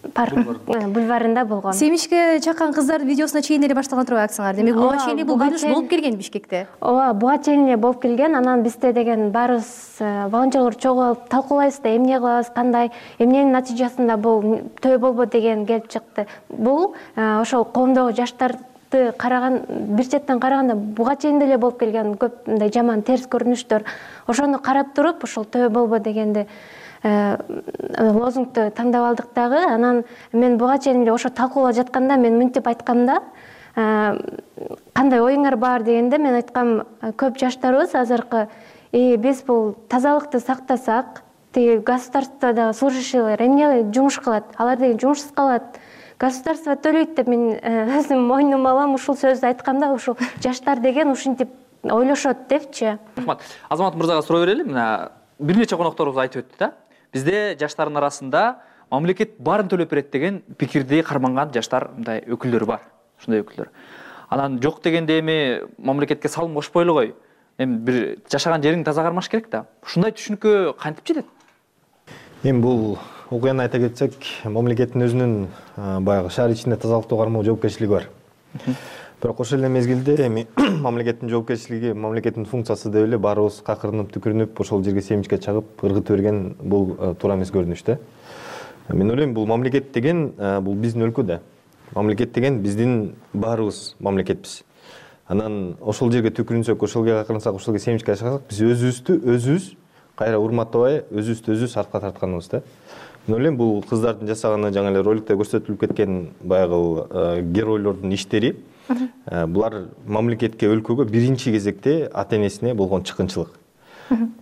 бульварында болгон. Семишке чаккан кыздардын видеосуна чейин эле башталган турбайбы акциялар? Демек буга чейин бул көрүнүш болуп келген Бишкекте. Ооба, буга чейин эле болуп келген. Анан бизде деген баарыбыз волонтерлор чогулуп талкуулайбыз да, эмне кылабыз, кандай, эмненин натыйжасында бул төө болбо деген келип чыкты. Бул ошол коомдогу жаштарды караган, бир четтен караганда буга чейин деле болуп келген көп мындай жаман терс көрүнүштөр. Ошону карап туруп, ошол төө болбо дегенди лозунгду тандап алдык дагы. Анан мен буга чейин эле ошо талкуулап жатканда мен мынтип айтканда, кандай оюңар бар дегенде мен айткам, көп жаштарыбыз азыркы биз бул тазалыкты сактасак, тиги государстводо служащийлер эмне жумуш кылат? Алар деген жумушсуз калат. Государство төлөйт деп мен өзүм мойнума алам, ушул сөздү айтканда, ушул жаштар деген ушинтип ойлошот депчи. Рахмат. Азамат мырзага суроо берели. Мына бир нече конокторубуз айтып өттү да. Бизде жаштардын арасында мамлекет баарын төлөп берет деген пикирди карманган жаштар мындай өкүлдөр бар. Ушундай өкүлдөр. Анан жок дегенде эми мамлекетке салым кошпойлу кой. Эми бир жашаган жериң таза кармаш керек да. Ушундай түшүнүккө кантип жетет? Эми бул окуяны айта кетсек, мамлекеттин өзүнүн баягы шаар ичинде тазалыкты кармоо жоопкерчилиги бар. Бирок ошол эле мезгилде эми мамлекеттин жоопкерчилиги, мамлекеттин функциясы деп эле баарыбыз какырынып, түкүрүнүп, ошол жерге семичке чагып ыргытып берген бул туура эмес көрүнүш да. Мен ойлойм, бул мамлекет деген бул биздин өлкө да. Мамлекет деген биздин баарыбыз мамлекетпиз. Анан ошол жерге түкүрүнсөк, ошол жерге какырынсак, ошол жерге семичке чагсак, биз өзүбүздү кайра урматтабай, өзүбүздү сартка тартканыбыз да. Мен ойлойм, бул кыздардын жасаганы, жаңы эле роликте көрсөтүлүп кеткен баягы геройлордун иштери, булар мамлекетке, өлкөгө биринчи кезекте ата энесине болгон чыккынчылык.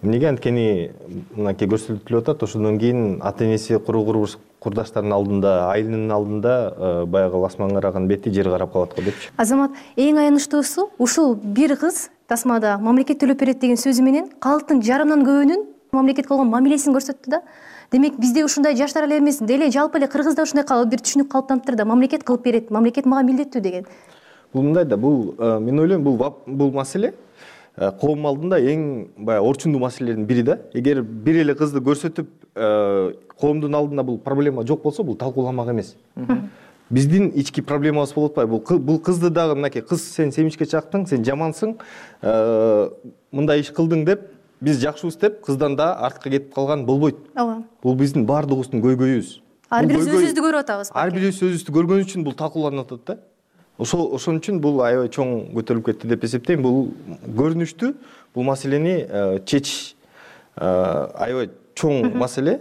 Эмнеге анткени мынакей көрсөтүлүп атат, ошондон кийин ата энеси курдаштардын алдында, айылынын алдында баягы асман караган бети жер карап калат го депчи. Азамат, эң аянычтуусу ушул бир кыз тасмада мамлекет төлөп берет деген сөзү менен калктын жарымдан көбүнүн мамлекетке болгон мамилесин көрсөттү да. Демек бизде ушундай жаштар эле эмес, деле жалпы эле Кыргызда ушундай бир түшүнүк калыптанып турда, мамлекет кылып берет, мамлекет мага милдеттүү деген. бул мындай да, бул мен ойлойм бул маселе коом алдында эң баягы орчундуу маселелердин бири да. Эгер бир эле кызды көрсөтүп коомдун алдында бул проблема жок болсо, бул талкууламак эмес. Биздин ички проблемабыз болуп атпайбы? Бул кызды дагы мынакей, кыз сен семичке чактың, сен жамансың, мындай иш кылдың деп, биз жакшыбыз деп, кыздан да артка кетип калган болбойт. Ооба. Бул биздин баардыгыбыздын көйгөйүбүз. Ар бирибиз өзүбүздү көрүп атабыз. Ар бирибиз өзүбүздү көргөн үчүн бул талкууланып атат да. Ошон үчүн бул аябай чоң көтөрүлүп кетти деп эсептейм. Бул көрүнүштүү, бул маселени чечиш аябай чоң маселе.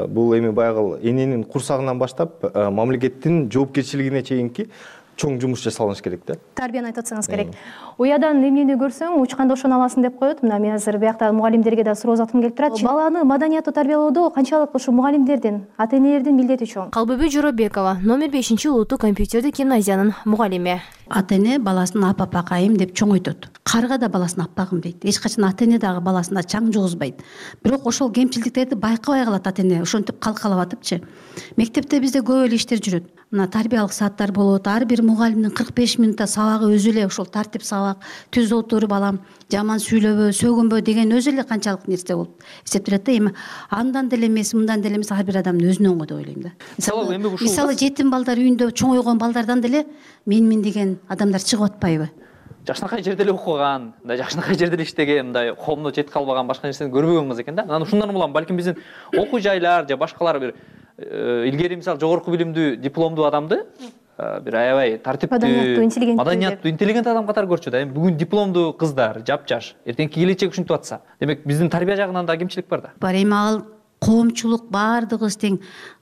Бул эми баягы эненин курсагынан баштап мамлекеттин жоопкерчилигине чейинки чоң жумуш жасалыш керек да. Тарбияны айтып атсаңыз керек. Уядан эмнени көрсөң, учканда ошону аласың деп коет. Мына мен азыр биякта мугалимдерге да суроо заткым келип турат. Баланы маданияттуу тарбиялоодо канчалык ушу мугалимдердин, ата-энелердин милдети чоң? Калбүбү Жоробекова, номер 5 улуттук компьютердик гимназиянын мугалими. Ата-эне баласын апапакайым деп чоңойтот. Карга да баласын аппагым дейт. Эч качан ата-эне дагы баласына чаң жугузбайт. Бирок ошол кемчилдиктерди байкабай калат ата-эне, ошентип калкалап атыпчы. Мектепте бизде көп эле иштер жүрөт. Мына тарбиялык сааттар болот. Ар бир мугалимдин 45 минутта сабагы өзү эле ошол тартип сабак, түз отур балам, жаман сүйлөбө, сөгүнбө деген өзү эле канчалык нерсе болуп эсептелет да. Эми андан деле эмес, мындан деле эмес, ар бир адамдын өзүнөн го деп ойлойм да. Мисалы жетим балдар үйүндө чоңойгон балдардан деле менмин деген адамдар чыгып атпайбы? Жакшынакай жерде эле окуган, мындай жакшынакай жерде эле иштеген, мындай коомдо жетип калбаган башка нерсени көрбөгөн кыз экен да. Анан ушундан улам балким биздин окуу жайлар же башкалар бир илгери мисалы жогорку билимдүү, дипломдуу адамды бир аябай тартиптүү, маданияттуу, интеллигент адам катары көрчү да. Эми бүгүн дипломдуу кыздар, жапжаш, эртеңки келечек ушинтип атса, демек биздин тарбия жагынан да кемчилик бар да. Бар, эми ал коомчулук баардыгыбыз тең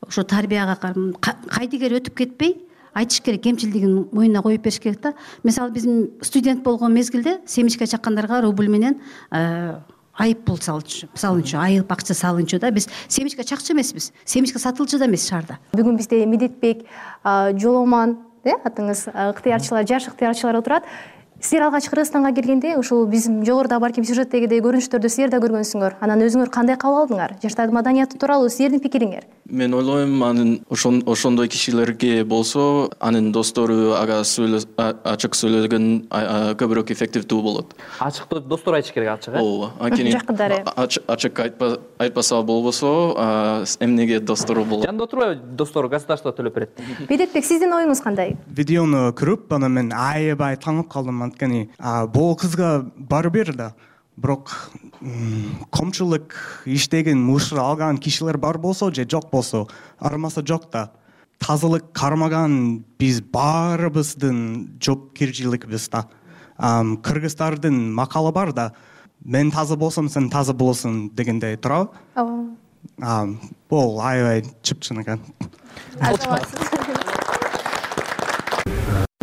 ошо тарбияга кайдыгер өтүп кетпей айтыш керек, кемчилдигин мойнуна коюп бериш керек да. Мисалы биздин студент болгон мезгилде семичке чаккандарга рубль менен айып пул салынчу, айып акча салынчу да. Биз семичке чакчы эмеспиз, семичке сатылчу да эмес шаарда. Бүгүн бизде Медетбек, Жоломан, атыңыз, ыктыярчылар, жаш ыктыярчылар отурат. Силер алгач Кыргызстанга келгенде ушул биздин жогоруда балким сюжеттегидей көрүнүштөрдү силер да көргөнсүңөр. Анан өзүңөр кандай кабыл алдыңар? Жаштардын маданияты тууралуу силердин пикириңер? Мен ойлойм, анын ошондой кишилерге болсо, анын достору ага ачык сөйлөгөн көбүрөөк эффективдүү болот. Ачык достор айтыш керек, ачык. Ооба. Анткени ачык айтпаса болбосо, эмнеге достору болот? Жанында отурбайбы достору, государство төлөп берет. Медетбек, сиздин оюңуз кандай? Видеону көрүп, анан мен аябай таанып калдым. Анткени бул кызга барбер да, бирок коомчулук иштеген, мушар алган кишилер бар болсо же жок болсо, армаса жок да. Тазалык кармаган биз баарыбыздын жоопкерчилигибиз да. Кыргыздардын макалы бар да, мен таза болсом, сен таза болосуң дегендей турабы? Ооба. Бул аябай чыпчын экен.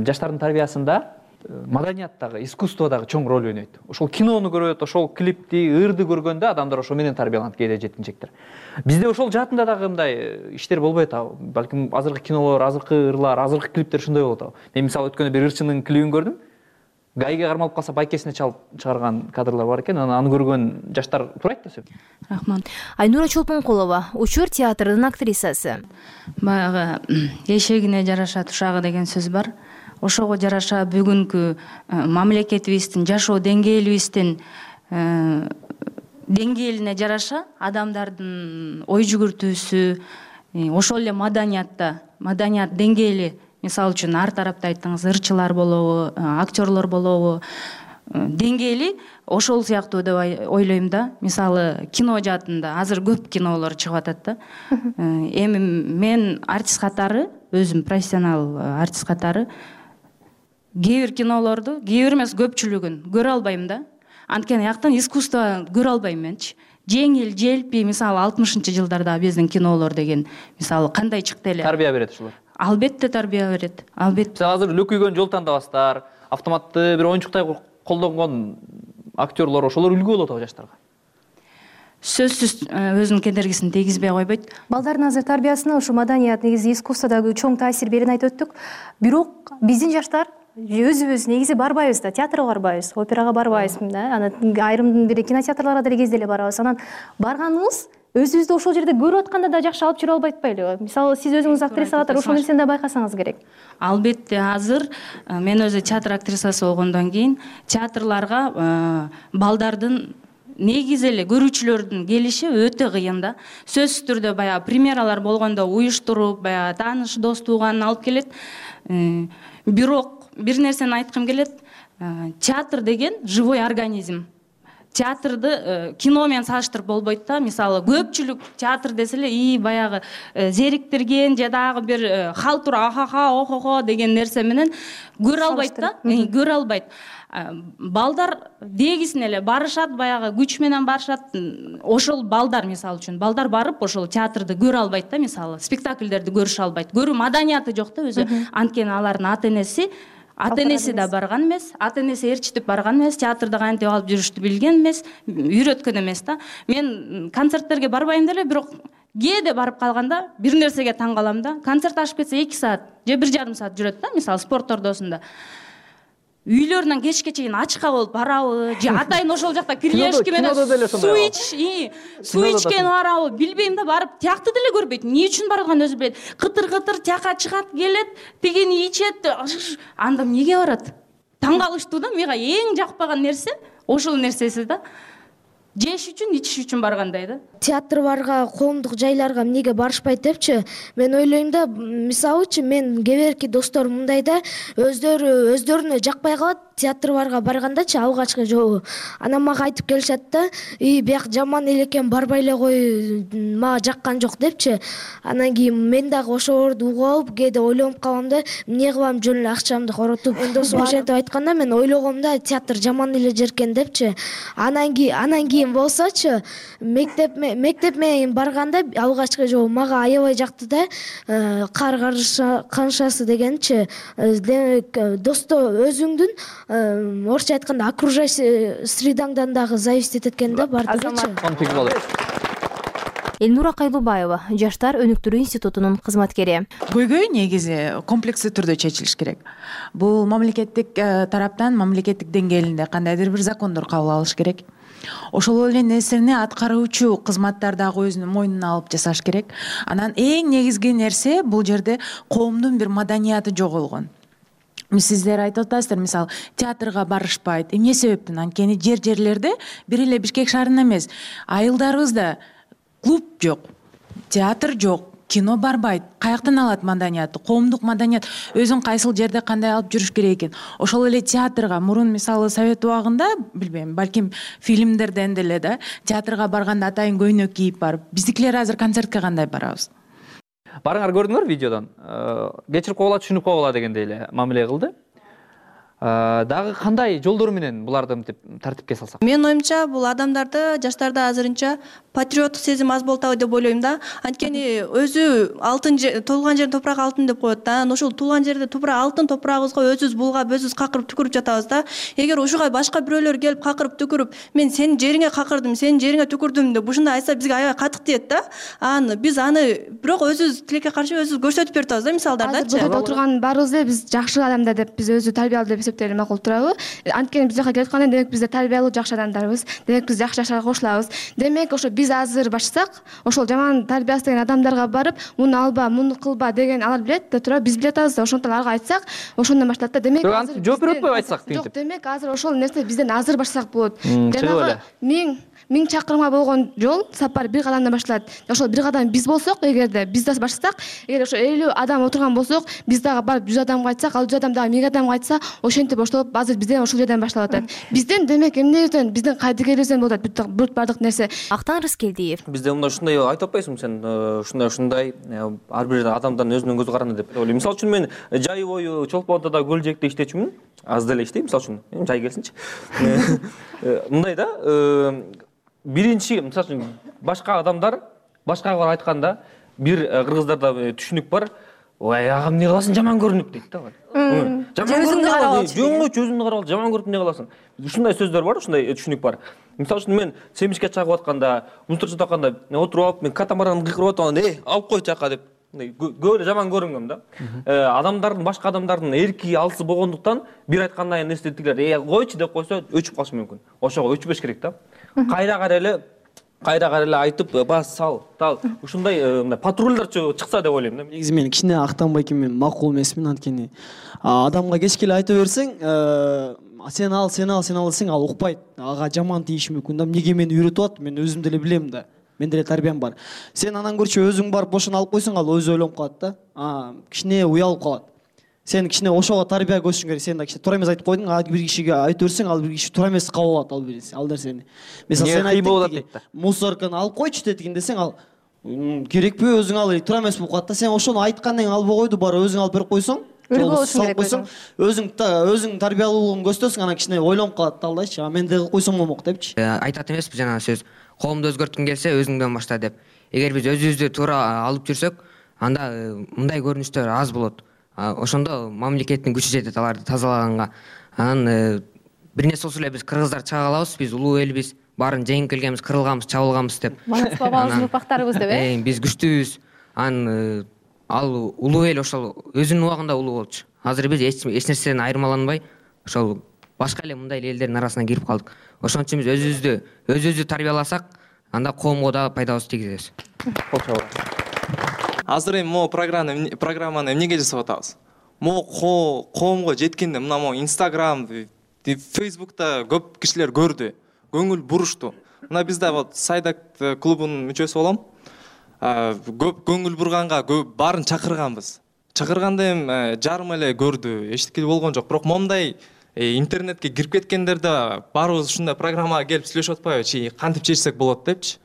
Жаштардын тарбиясында маданияттагы, искусстводагы чоң роль ойнойт. Ошол кинону көрөт, ошол клипти, ырды көргөндө адамдар ошо менен тарбияланат, кээде жеткинчектер. Бизде ошол жаатында дагы мындай иштер болбойт. Балким азыркы кинолор, азыркы ырлар, азыркы клиптер ушундай болот. Мен мисалы өткөндө бир ырчынын клибин көрдүм. Гайга кармалып калса байкесине чалып чыгарган кадрлар бар экен. Аны көргөн жаштар турайт да сөп. Рахмат. Айнура Чолпонкулова, Учур театрынын актрисасы. Баягы эшегине жараша тушагы деген сөз бар. Ошого жараша бүгүнкү мамлекетибиздин жашоо деңгээлибиздин деңгээлине жараша адамдардын ой жүгүртүүсү, ошол эле маданият деңгээли, мисалы үчүн ар тарапта айттыңыз, ырчылар болобу, актерлор болобу, деңгээли ошол сыяктуу деп ойлойм да. Мисалы кино жаатында азыр көп кинолор чыгып атат да. Эми мен артист катары, өзүм профессионал артист катары кээ бир кинолорду, кээ бир эмес көпчүлүгүн көрө албайм да. Анткени аяктан искусство көрө албайм менчи. Жеңил, желпи, мисалы 60-жылдарда биздин кинолор деген, мисалы кандай чыкты эле. Тарбия берет ушулар. Албетте тарбия берет. Албетте. Мисалы азыр лөкүйгөн жол тандабастар, автоматты бир оюнчуктай колдонгон актерлор, ошолор үлгү болот жаштарга. Сөзсүз өзүнүн кедергисин тийгизбей койбойт. Балдардын азыр тарбиясына ушу маданият, негизи искусстводагы чоң таасир берин айтып өттүк. Бирок биздин жаштар өзүбүз негизи барбайбыз да, театрга барбайбыз, операга барбайбыз да. Анан айрым бир кинотеатрларга деле кезде эле барабыз. Анан барганыбыз өзүбүздү ошол жерде көрүп атканда да жакшы алып жүрө албай атпайлыбы? Мисалы сиз өзүңүз актриса катары ошол нерсени да байкасаңыз керек. Албетте азыр мен өзү театр актрисасы болгондон кийин театрларга балдардын негизи эле көрүүчүлөрдүн келиши өтө кыйын да. Сөзсүз түрдө баягы премьералар болгондо уюштуруп, баягы тааныш дос тууганын алып келет. Бирок бир нерсени айткым келет. Театр деген живой организм. Театрды кино менен салыштырып болбойт да. Мисалы көпчүлүк театр десе эле баягы зериктирген же дагы бир халтур ахаха охохо деген нерсе менен көрө албайт да. Көрө албайт. Балдар дегисине эле барышат, баягы күч менен барышат. Ошол балдар мисалы үчүн балдар барып ошол театрды көрө албайт да, мисалы спектакльдерди көрүшө албайт. Көрүү маданияты жок да өзү. Анткени алардын ата-энеси да барган эмес, ата-энеси ээрчитип барган эмес, театрды кантип алып жүрүштү билген эмес, үйрөткөн эмес да. Мен концерттерге барбайм деле, бирок кээде барып калганда бир нерсеге таң калам да. Концерт ашып кетсе 2 саат же 1,5 саат жүрөт да, мисалы спорт ордосунда. Үйлөрүнөн кечке чейин ачка болуп барабы, же атайын ошол жакта кирлешки менен суу ичкен барабы, билбейм да, барып тиякты деле көрбөйт. Эмне үчүн барганын өзү билет. Кытыр тияка чыгат, келет, тигини ичет. Анда эмнеге барат? Таң калыштуу да, мага эң жакпаган нерсе ошол нерсеси да. Жеш үчүн, ичиш үчүн баргандай да. Театрга, коомдук жайларга эмнеге барышпайт депчи, мен ойлойм да, мисалычы мен кээ досторум мындай да, өздөрүнө жакпай калат театрга баргандачы алгачкы жолу. Анан мага айтып келишет да, бияк жаман эле экен, барбай эле кой, мага жаккан жок депчи. Анан кийин мен дагы ошолорду угуп алып, кээде ойлонуп калам да, эмне кылам, жөн эле акчамды коротуп. Досум ошентип айтканда мен ойлогом да, театр жаман эле жер экен депчи. Анан кийин болсочу, мектеп менен барганда алгачкы жолу мага аябай жакты да. Кар каншасы дегенчи, өзүңдүн орусча айтканда окружающий средаңдан дагы зависит экен да, бардыгычы. Элнура Кайлубаева, Жаштар өнүктүрүү институтунун кызматкери. Көйгөй негизи комплекстүү түрдө чечилиш керек. Бул мамлекеттик тараптан, мамлекеттик деңгээлинде кандайдыр бир закондор кабыл алыш керек. Ошол эле нерсени аткаруучу кызматтар дагы өзүнүн мойнуна алып жасаш керек. Анан эң негизги нерсе бул жерде коомдун бир маданияты жоголгон. Сиздер айтып атасыздар, мисалы, театрга барышпайт. Эмне себептен? Анткени жерлерде бир эле Бишкек шаарында эмес, айылдарыбызда клуб жок, театр жок, кино барбайт. Каяктан алат маданиятты? Коомдук маданият өзүн кайсыл жерде кандай алып жүрүш керек экен? Ошол эле театрга мурун мисалы Совет убагында, билбейм, балким фильмдерден деле да, театрга барганда атайын көйнөк кийип барып, биздикилер азыр концертке кандай барабыз? Барыңар көрдүңөр видеодон. Кечирип койгула, түшүнүп койгула дегендей эле мамиле кылды. Дагы кандай жолдор менен буларды мынтип тартипке салсак? Менин оюмча, бул адамдарды, жаштарда азырынча патриоттук сезим аз болуп атабы деп ойлойм да. Анткени өзү алтын туулган жердин топурагы алтын деп коет да. Анан ошол туулган жерде топурак алтын топурагыбызга өзүбүз булгап, өзүбүз какырып түкүрүп жатабыз да. Эгер ушуга башка бирөөлөр келип какырып түкүрүп, мен сенин жериңе какырдым, сенин жериңе түкүрдүм деп ушундай айтса бизге аябай катык тиет да. Биз аны бирок өзүбүз тилекке каршы өзүбүз көрсөтүп берип атабыз да, мисалдардачы. Азыр отурган баарыбыз эле биз жакшы адамдар деп, биз өзү тарбиялуу деп эсептөөлү макул турабы? Анткени биз жака келип атканда демек биз тарбиялуу жакшы адамдарбыз. Демек биз жакшы жашарга кошулабыз. Демек ошо биз азыр башсак, ошол жаман тарбиясы деген адамдарга барып, муну алба, муну кылба деген алар билет да тура, биз билет атабыз да. Ошондон аларга айтсак, ошондон башталат да. Демек азыр жооп берип атпайбы айтсак дейт. Жок, демек азыр ошол нерсе бизден азыр баштасак болот. Жанагы 1000 чакырымга болгон жол сапар бир кадамдан башталат. Ошол бир кадам биз болсок, эгерде биз да баштасак, эгер ошо 50 адам отурган болсок, биз дагы барып 100 адамга айтсак, ал 100 адам дагы 1000 адамга айтса, ошентип оштоп азыр бизден ошол жерден башталып атат. Бизден демек эмнеден, биздин кайдыгерибизден болот бүт бардык нерсе. Актан Рыскелдиев. Бизде мындай ушундай айтып атпайсыңбы сен, ушундай ар бир адамдын өзүнүн көз каранды деп ойлойм. Мисалы үчүн мен жай бою Чолпондо көл жээкте иштечүмүн. Аз деле иштейм, мисалы үчүн. Жай келсинчи. Мындай да, биринчи, мисалы үчүн, башка адамдар башкага айтканда, бир кыргыздарда түшүнүк бар. Ой, агам эмне кыласың, жаман көрүнүп дейт да. Жаман көрүнүп, өзүңдү карап ал, жаман көрүп эмне кыласың? Ушундай сөздөр бар, ушундай түшүнүк бар. Мисалы үчүн мен семишке чагып атканда, мусор чыгып атканда, отуруп алып, мен катамаранды кыйкырып атам, алып кой чака деп. Көп эле жаман көрүнгөм да. Адамдардын, башка адамдардын эрки алсы болгондуктан бир айткандан кийин эстетилер, койчу деп койсо өчүп калышы мүмкүн. Ошого өчпөш керек да. Кайра эле кайра эле айтып бас сал тал ушундай мындай патрульдерчи чыкса деп ойлойм да. Негизи мен кичине актанбай мен макул эмесмин, анткени адамга кечке эле айта берсең, сен ал десең ал укпайт, ага жаман тийиши мүмкүн да. Эмнеге мени үйрөтүп атат, мен өзүм деле билем да. Менде деле тарбиям бар. Сен анан көрчү өзүң барып ошону алып койсоң, ал өзү ойлонуп калат да. Кичине уялып калат. Сен кичине ошого тарбия көрсөң керек. Сен да кичине туура эмес айтып койдуң, бир кишиге айтып берсең, ал бир киши туура эмес кабыл алат ал нерсени. Мисалы сен айттың, мусорканы алып койчу дедигин десең, ал керекпи өзүң ал туура эмес болуп калат да. Сен ошону айткандан кийин албай койду, барып өзүң алып берип койсоң, салып койсоң, өзүң тарбиялуулугун көрсөтөсүң, анан кичине ойлонуп калат да алдайчы. Мен да койсом болмок депчи. Айтат эмеспи жанагы сөз, коомду өзгөрткүң келсе өзүңдөн башта деп. Эгер биз өзүбүздү туура алып жүрсөк, анда мындай көрүнүштөр аз болот. Ошондо мамлекеттин күчү жетет аларды тазалаганга. Анан бир нерсе болсо эле биз кыргыздар чыга калабыз, биз улуу элбиз, баарын жеңип келгенбиз, кырылганбыз, чабылганбыз деп. Маңыз бабабыздын урпактарыбыз деп, биз күчтүүбүз. Анан ал улуу эл ошол өзүнүн убагында улуу болчу. Азыр биз эч нерседен айырмаланбай, ошол башка эле мындай элдердин арасына кирип калдык. Ошон үчүн биз өзүбүздү тарбияласак, анда коомго да пайдабызды тийгизебиз. Азыр эми могу программаны эмнеге жасап атабыз? Могу коомго жеткенде мына могу Instagram, Facebook'та көп кишилер көрдү, көңүл бурушту. Мына биз да вот Сайдак клубунун мүчөсү болом. Көп көңүл бурганга баарын чакырганбыз. Чакырганда эми жарым эле көрдү, эчтеке болгон жок. Бирок момундай интернетке кирип кеткендерде баарыбыз ушундай программага келип сүйлөшүп атпайбы, кантип чечсек болот депчи.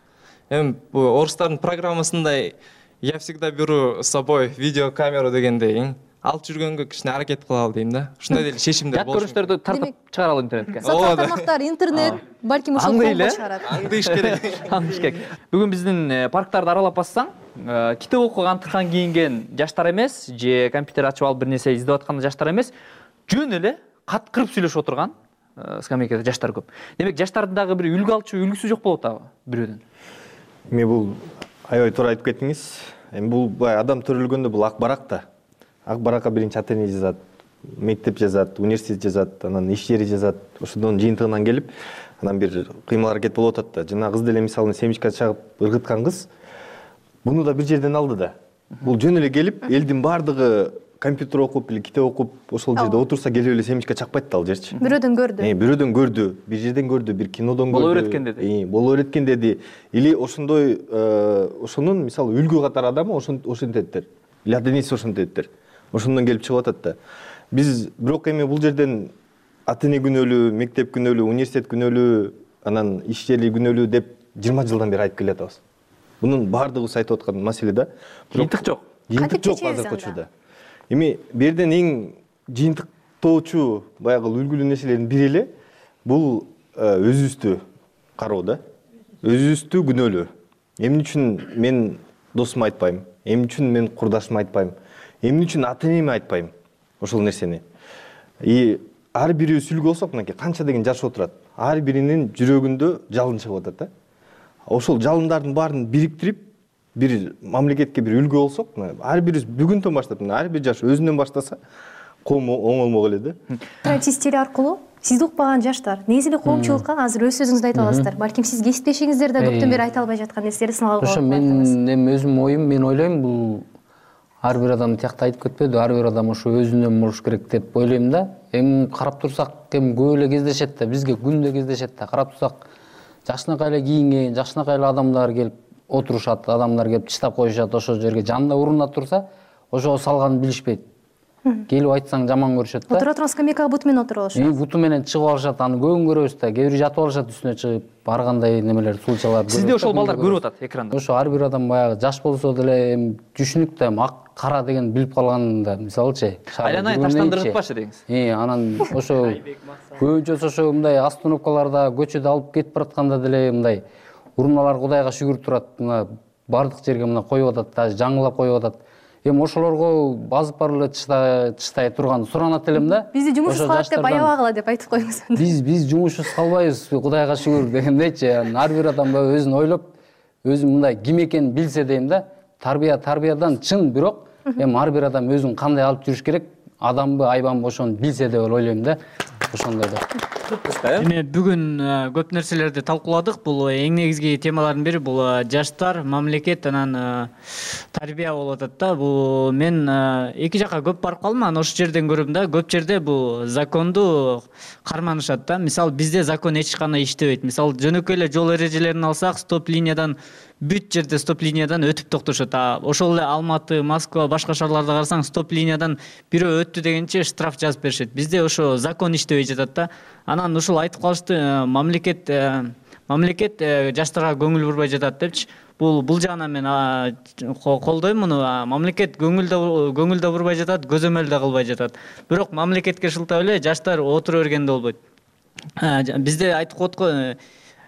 Эми орустардын программасындай я всегда беру с собой видеокамеру дегендей алып жүргөнгө кичине аракет кылалы дейм да. Ушундай деле чечимдер болушу. Жат көрүштөрдү тартып чыгаралы интернетке. Социал тармактар, интернет, балким ошол колго чыгарат. Аңдыш керек. Аңдыш керек. Бүгүн биздин парктарды аралап бассаң, китеп окуган, антыкан кийинген жаштар эмес, же компьютер ачып алып бир нерсе издеп аткан жаштар эмес, жөн эле каткырып сүйлөшүп отурган скамейкада жаштар көп. Демек, жаштардын дагы бир үлгү алчу үлгүсү жок болуп атабы бирөөдөн? Эми бул аябай туура айтып кеттиңиз. Эми бул баягы адам төрөлгөндө бул ак барак да. Ак баракка биринчи ата эне жазат, мектеп жазат, университет жазат, анан иш жери жазат. Ошондон жыйынтыгынан келип, анан бир кыймыл аракет болуп атат да. Жана кыз деле мисалы семечка чагып ыргыткан кыз буну да бир жерден алды да. Бул жөн эле келип, элдин баардыгы компьютер окуп или китеп окуп ошол жерде отурса келип эле семечка чакпайт да ал жерчи. Бирөөдөн көрдү. Бирөөдөн көрдү, бир жерден көрдү, бир кинодон көрдү. Боло өйрөткөн деди. Боло өйрөткөн деди. Или ошондой ошонун мисалы үлгү катар адамы ошентеттер. Или ата энеси ошентеттер. Ошондон келип чыгып атат да. Биз бирок эми бул жерден ата эне күнөөлүү, мектеп күнөөлүү, университет күнөөлүү, анан иш жери күнөөлүү деп 20 жылдан бери айтып келатабыз. Бунун баардыгыбыз айтып аткан маселе да. Жыйынтык жок. Жыйынтык жок азыркы учурда. Эми берден эң жыйынтыктоочу баягы үлгүлүү нерселердин бири эле бул өзүбүздү кароо да. Өзүбүздү күнөөлөө. Эмне үчүн мен досума айтпайм? Эмне үчүн мен курдашыма айтпайм? Эмне үчүн ата энеме айтпайм ошол нерсени? Ар бирибиз үлгү болсок, мынакей канча деген жаш отурат. Ар биринин жүрөгүндө жалын чыгып атат да. Ошол жалындардын баарын бириктирип, бир мамлекетке бир үлгү болсок, ар бирибиз бүгүндөн баштап, ар бир жаш өзүнөн баштаса, коом оңолмок эле да. Сиз теле аркылуу сизди укпаган жаштар негизи эле коомчулукка азыр өз сөзүңүздү айта аласыздар. Балким сиз кесиптешиңиздер да көптөн бери айта албай жаткан нерселерди сыналгы болот. Ошо мен эми өзүмдүн оюм, мен ойлойм бул ар бир адам тиякта айтып кетпеди, ар бир адам ошо өзүнөн болуш керек деп ойлойм да. Эми карап турсак, эми көп эле кездешет да, бизге күндө кездешет да. Карап турсак, жакшынакай эле кийинген, жакшынакай эле адамдар келип отурушат, адамдар келип тыштап коюшат, ошол жерге жанында урунат турса, ошого салганын билишпейт. Келип айтсаң жаман көрүшөт да. Отура турган скамейкага буту менен отуруп алышат. Буту менен чыгып алышат, аны көбүн көрөбүз да. Кээ бирөө жатып алышат үстүнө чыгып, ар кандай немелер, сулчалар. Сизде ошол балдар көрүп атат экранда. Ошо ар бир адам баягы жаш болсо деле эми түшүнүк да, ак кара деген билип калганда, мисалычы. Айланайын таштандырып деңиз. Анан ошо көбүнчөсү ошо мындай остановкаларда, көчөдө алып кетип баратканда деле мындай урмалар Кудайга шүгүр турат. Мына бардык жерге мына коюп атат, даже жаңылап коюп атат. Эми ошолорго базып барып эле чыштай турган суранат элем да. Бизди жумушсуз калат деп аябагыла деп айтып коюңуз. Биз жумушсуз калбайбыз, Кудайга шүгүр дегендейчи. Ар бир адам өзүн ойлоп, өзү мындай ким экенин билсе дейм да. Тарбиядан чын, бирок эми ар бир адам өзүн кандай алып жүрүш керек, адамбы, айбанбы ошону билсе деп ойлойм да. Ошондой да. эми бүгүн көп нерселерди талкууладык. Бул эң негизги темалардын бири бул жаштар, мамлекет анан тарбия болуп атат да. Бул мен эки жака көп барып калдым, анан ошол жерден көрдүм да, көп жерде бул законду карманышат да. Мисалы бизде закон эч кандай иштебейт. Мисалы жөнөкөй эле жол эрежелерин алсак, стоп линиядан бүт жерде стоп линиядан өтүп токтошот. Ошол эле Алматы, Москва, башка шаарларда карасаң, стоп линиядан бирөө өттү дегенче штраф жазып беришет. Бизде ошо закон иштебей жатат да. Анан ушул айтып калышты, мамлекет жаштарга көңүл бурбай жатат депчи. Бул жагынан мен колдойм муну. Мамлекет көңүл да бурбай жатат, көзөмөл да кылбай жатат. Бирок мамлекетке шылтап эле жаштар отура бергенде болбойт. Бизде айтып коет го,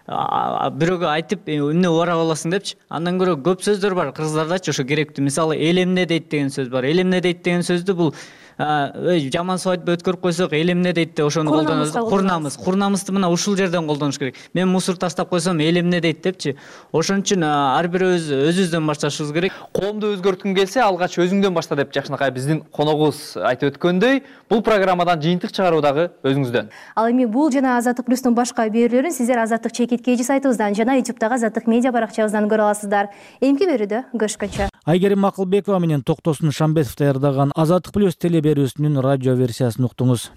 бирөөгө айтып эмне убарап аласың депчи. Андан көрө көп сөздөр бар кыргыздардачы ошо керектүү. Мисалы элемне дейт деген сөз бар. Элемне дейт деген сөздү бул жаман свадьба өткөрүп койсок элемне дейт деп ошону колдонобуз. Курнамызды мына ушул жерден колдонуш керек. Мен мусор таштап койсом элемне дейт депчи. Ошон үчүн ар бирөөбүз өзүбүздөн башташыбыз керек. Коомду өзгөрткүң келсе, алгач өзүңдөн башта деп жакшынакай биздин коногубуз айтып өткөндөй, бул программадан жыйынтык чыгаруу дагы өзүңүздөн. Ал эми бул жана Азаттык плюстун башка берүүлөрүн сиздер Азаттык чекит KG сайтыбыздан жана YouTube'дагы Азаттык медиа баракчабыздан көрө аласыздар. Эмки берүүдө көрүшкөнчө. Айгерим Макылбекова менен Токтосун Шамбетов даярдаган Азаттык плюс телеберүүсүнүн радио версиясын уктуңуз.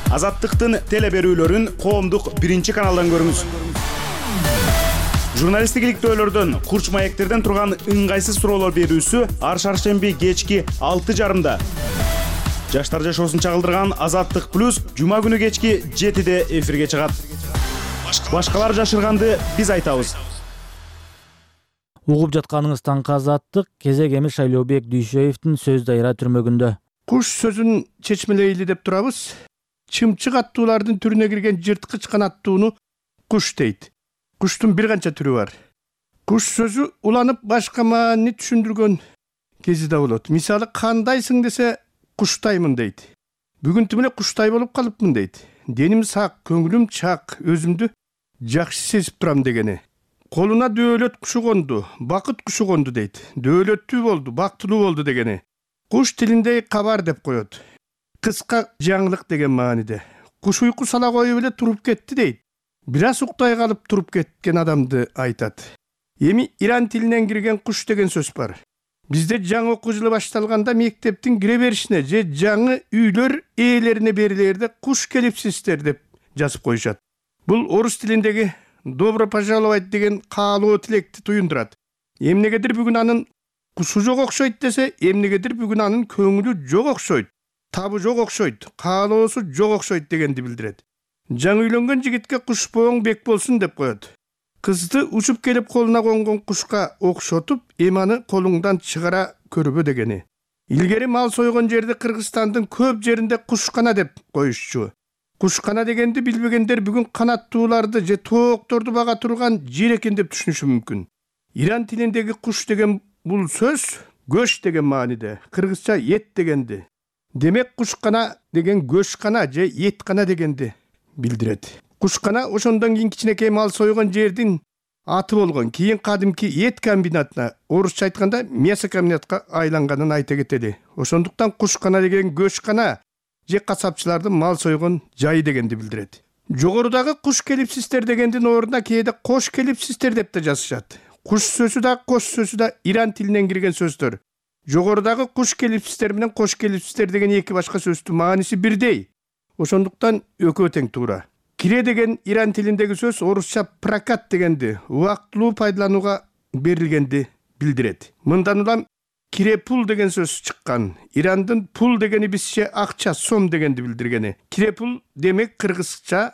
Азаттыктын телеберүүлөрүн коомдук биринчи каналдан көрүңүз. Журналисттик иликтөөлөрдөн, курч маектерден турган ыңгайсыз суроолор берүүсү ар шаршемби кечки 6:30. Жаштар жашоосун чагылдырган Азаттык плюс жума күнү кечки 7:де эфирге чыгат. Башкалар жашырганды биз айтабыз. Угуп жатканыңыз таңкы Азаттык, кезек эми Шайлообек Дүйшөевдин сөз дайра түрмөгүндө. Куш сөзүн чечмелейли деп турабыз. Чымчык аттуулардын түрүнө кирген жырткыч канаттууну куш дейт. Куштун бир канча түрү бар. Куш сөзү уланып башка маани түшүндүргөн кези да болот. Мисалы, кандайсың десе куштаймын дейт. Бүгүн эле куштай болуп калыпмын дейт. Деним сак, көңүлүм чак, өзүмдү жакшы сезип турам дегени. Колуна дөөлөт кушу конду, бакыт кушу конду дейт. Дөөлөттүү болду, бактылуу болду дегени. Куш тилиндей кабар деп коет. Кыска жаңылык деген мааниде. Куш уйку сала коюп эле туруп кетти дейт. Бир аз уктай калып туруп кеткен адамды айтат. Эми иран тилинен кирген куш деген сөз бар. Бизде жаңы окуу жылы башталганда мектептин кире беришине же жаңы үйлөр ээлерине берилерде куш келипсиздер деп жазып коюшат. Бул орус тилиндеги добро пожаловать деген каалоо тилекти туюндурат. Эмнегедир бүгүн анын кушу жок окшойт десе, эмнегедир бүгүн анын көңүлү жок окшойт, табы жок окшойт, каалоосу жок окшойт дегенди билдирет. Жаңы үйлөнгөн жигитке куш бооң бек болсун деп коет. Кызды учуп келип колуна конгон кушка окшотуп, эманы колуңдан чыгара көрбө дегени. Илгери мал сойгон жерди Кыргызстандын көп жеринде кушкана деп коюшчу. Кушкана дегенди билбегендер бүгүн канаттууларды же тоокторду бага турган жер экен деп түшүнүшү мүмкүн. Иран тилиндеги куш деген бул сөз көш деген мааниде, кыргызча эт дегенди. Демек кушкана деген көшкана же эткана дегенди билдирет. Кушкана ошондон кийин кичинекей мал сойгон жердин аты болгон. Кийин кадимки эт комбинатына, орусча айтканда мясокомбинатка айланганын айта кетели. Ошондуктан кушкана деген көшкана же касапчылардын мал сойгон жайы дегенди билдирет. Жогорудагы куш келипсиздер дегендин ордуна кээде кош келипсиздер деп да жазышат. Куш сөзү да, кош сөзү да иран тилинен кирген сөздөр. Жогорудагы куш келипсиздер менен кош келипсиздер деген эки башка сөздүн мааниси бирдей. Ошондуктан экөө тең туура. Кире деген иран тилиндеги сөз орусча прокат дегенди, убактылуу пайдаланууга берилгенди билдирет. Мындан улам кире пул деген сөз чыккан. Ирандын пул дегени бизче акча, сом дегенди билдиргени. Кире пул демек кыргызча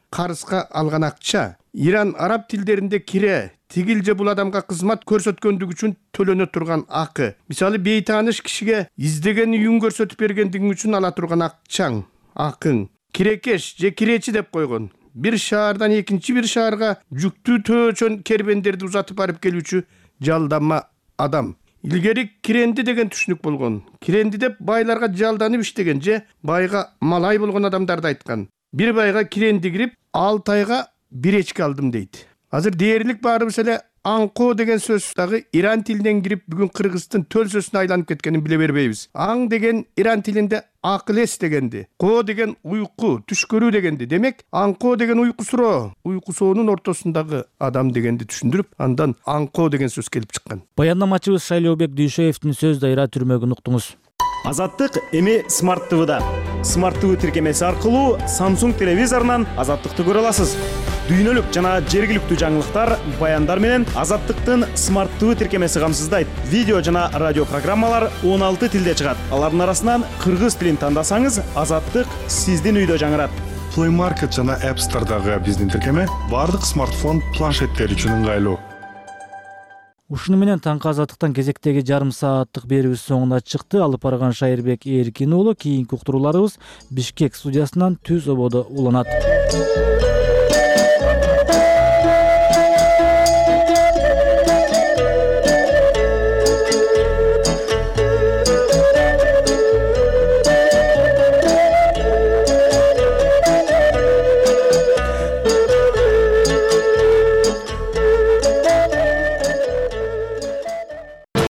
карызга алган акча. Иран араб тилдеринде кире тигил же бул адамга кызмат көрсөткөндүгү үчүн төлөнө турган акы. Мисалы, бейтааныш кишиге издеген үйүн көрсөтүп бергендиги үчүн ала турган акчаң, акың. Кирекеш же киречи деп койгон. Бир шаардан экинчи бир шаарга жүктүү төөчөн кербендерди узатып барып келүүчү жалданма адам. Илгери киренди деген түшүнүк болгон. Киренди деп байларга жалданып иштеген же байга малай болгон адамдарды айткан. Бир байга киренди кирип, 6 айга бир эчки алдым дейт. Азыр дээрлик баарыбыз эле аңко деген сөз дагы иран тилинен кирип бүгүн кыргыздын төл сөзүнө айланып кеткенин биле бербейбиз. Аң деген иран тилинде акыл эс дегенди, ко деген уйку, түш көрүү дегенди. Демек, аңко деген уйкусуроо, уйкусоонун ортосундагы адам дегенди түшүндүрүп, андан аңко деген сөз келип чыккан. Баяндамачыбыз Шайлообек Дүйшөевдин сөз дайра түрмөгүн уктуңуз. Азаттык эми Smart TV'да. Smart TV тиркемеси аркылуу Samsung телевизорунан Азаттыкты көрө аласыз. Дүйнөлүк жана жергиликтүү жаңылыктар, баяндар менен Азаттыктын Smart TV тиркемеси камсыздайт. Видео жана радио программалар 16 тилде чыгат. Алардын арасынан кыргыз тилин тандасаңыз, Азаттык сиздин үйдө жаңырат. Play Market жана App Store'дагы биздин тиркеме бардык смартфон, планшеттер үчүн ыңгайлуу. Ушуну менен таңкы Азаттыктан кезектеги жарым сааттык берүүбүз соңуна чыкты. Алып барган Шайырбек Эркин уулу. Кийинки уктурууларыбыз Бишкек студиясынан түз ободо уланат.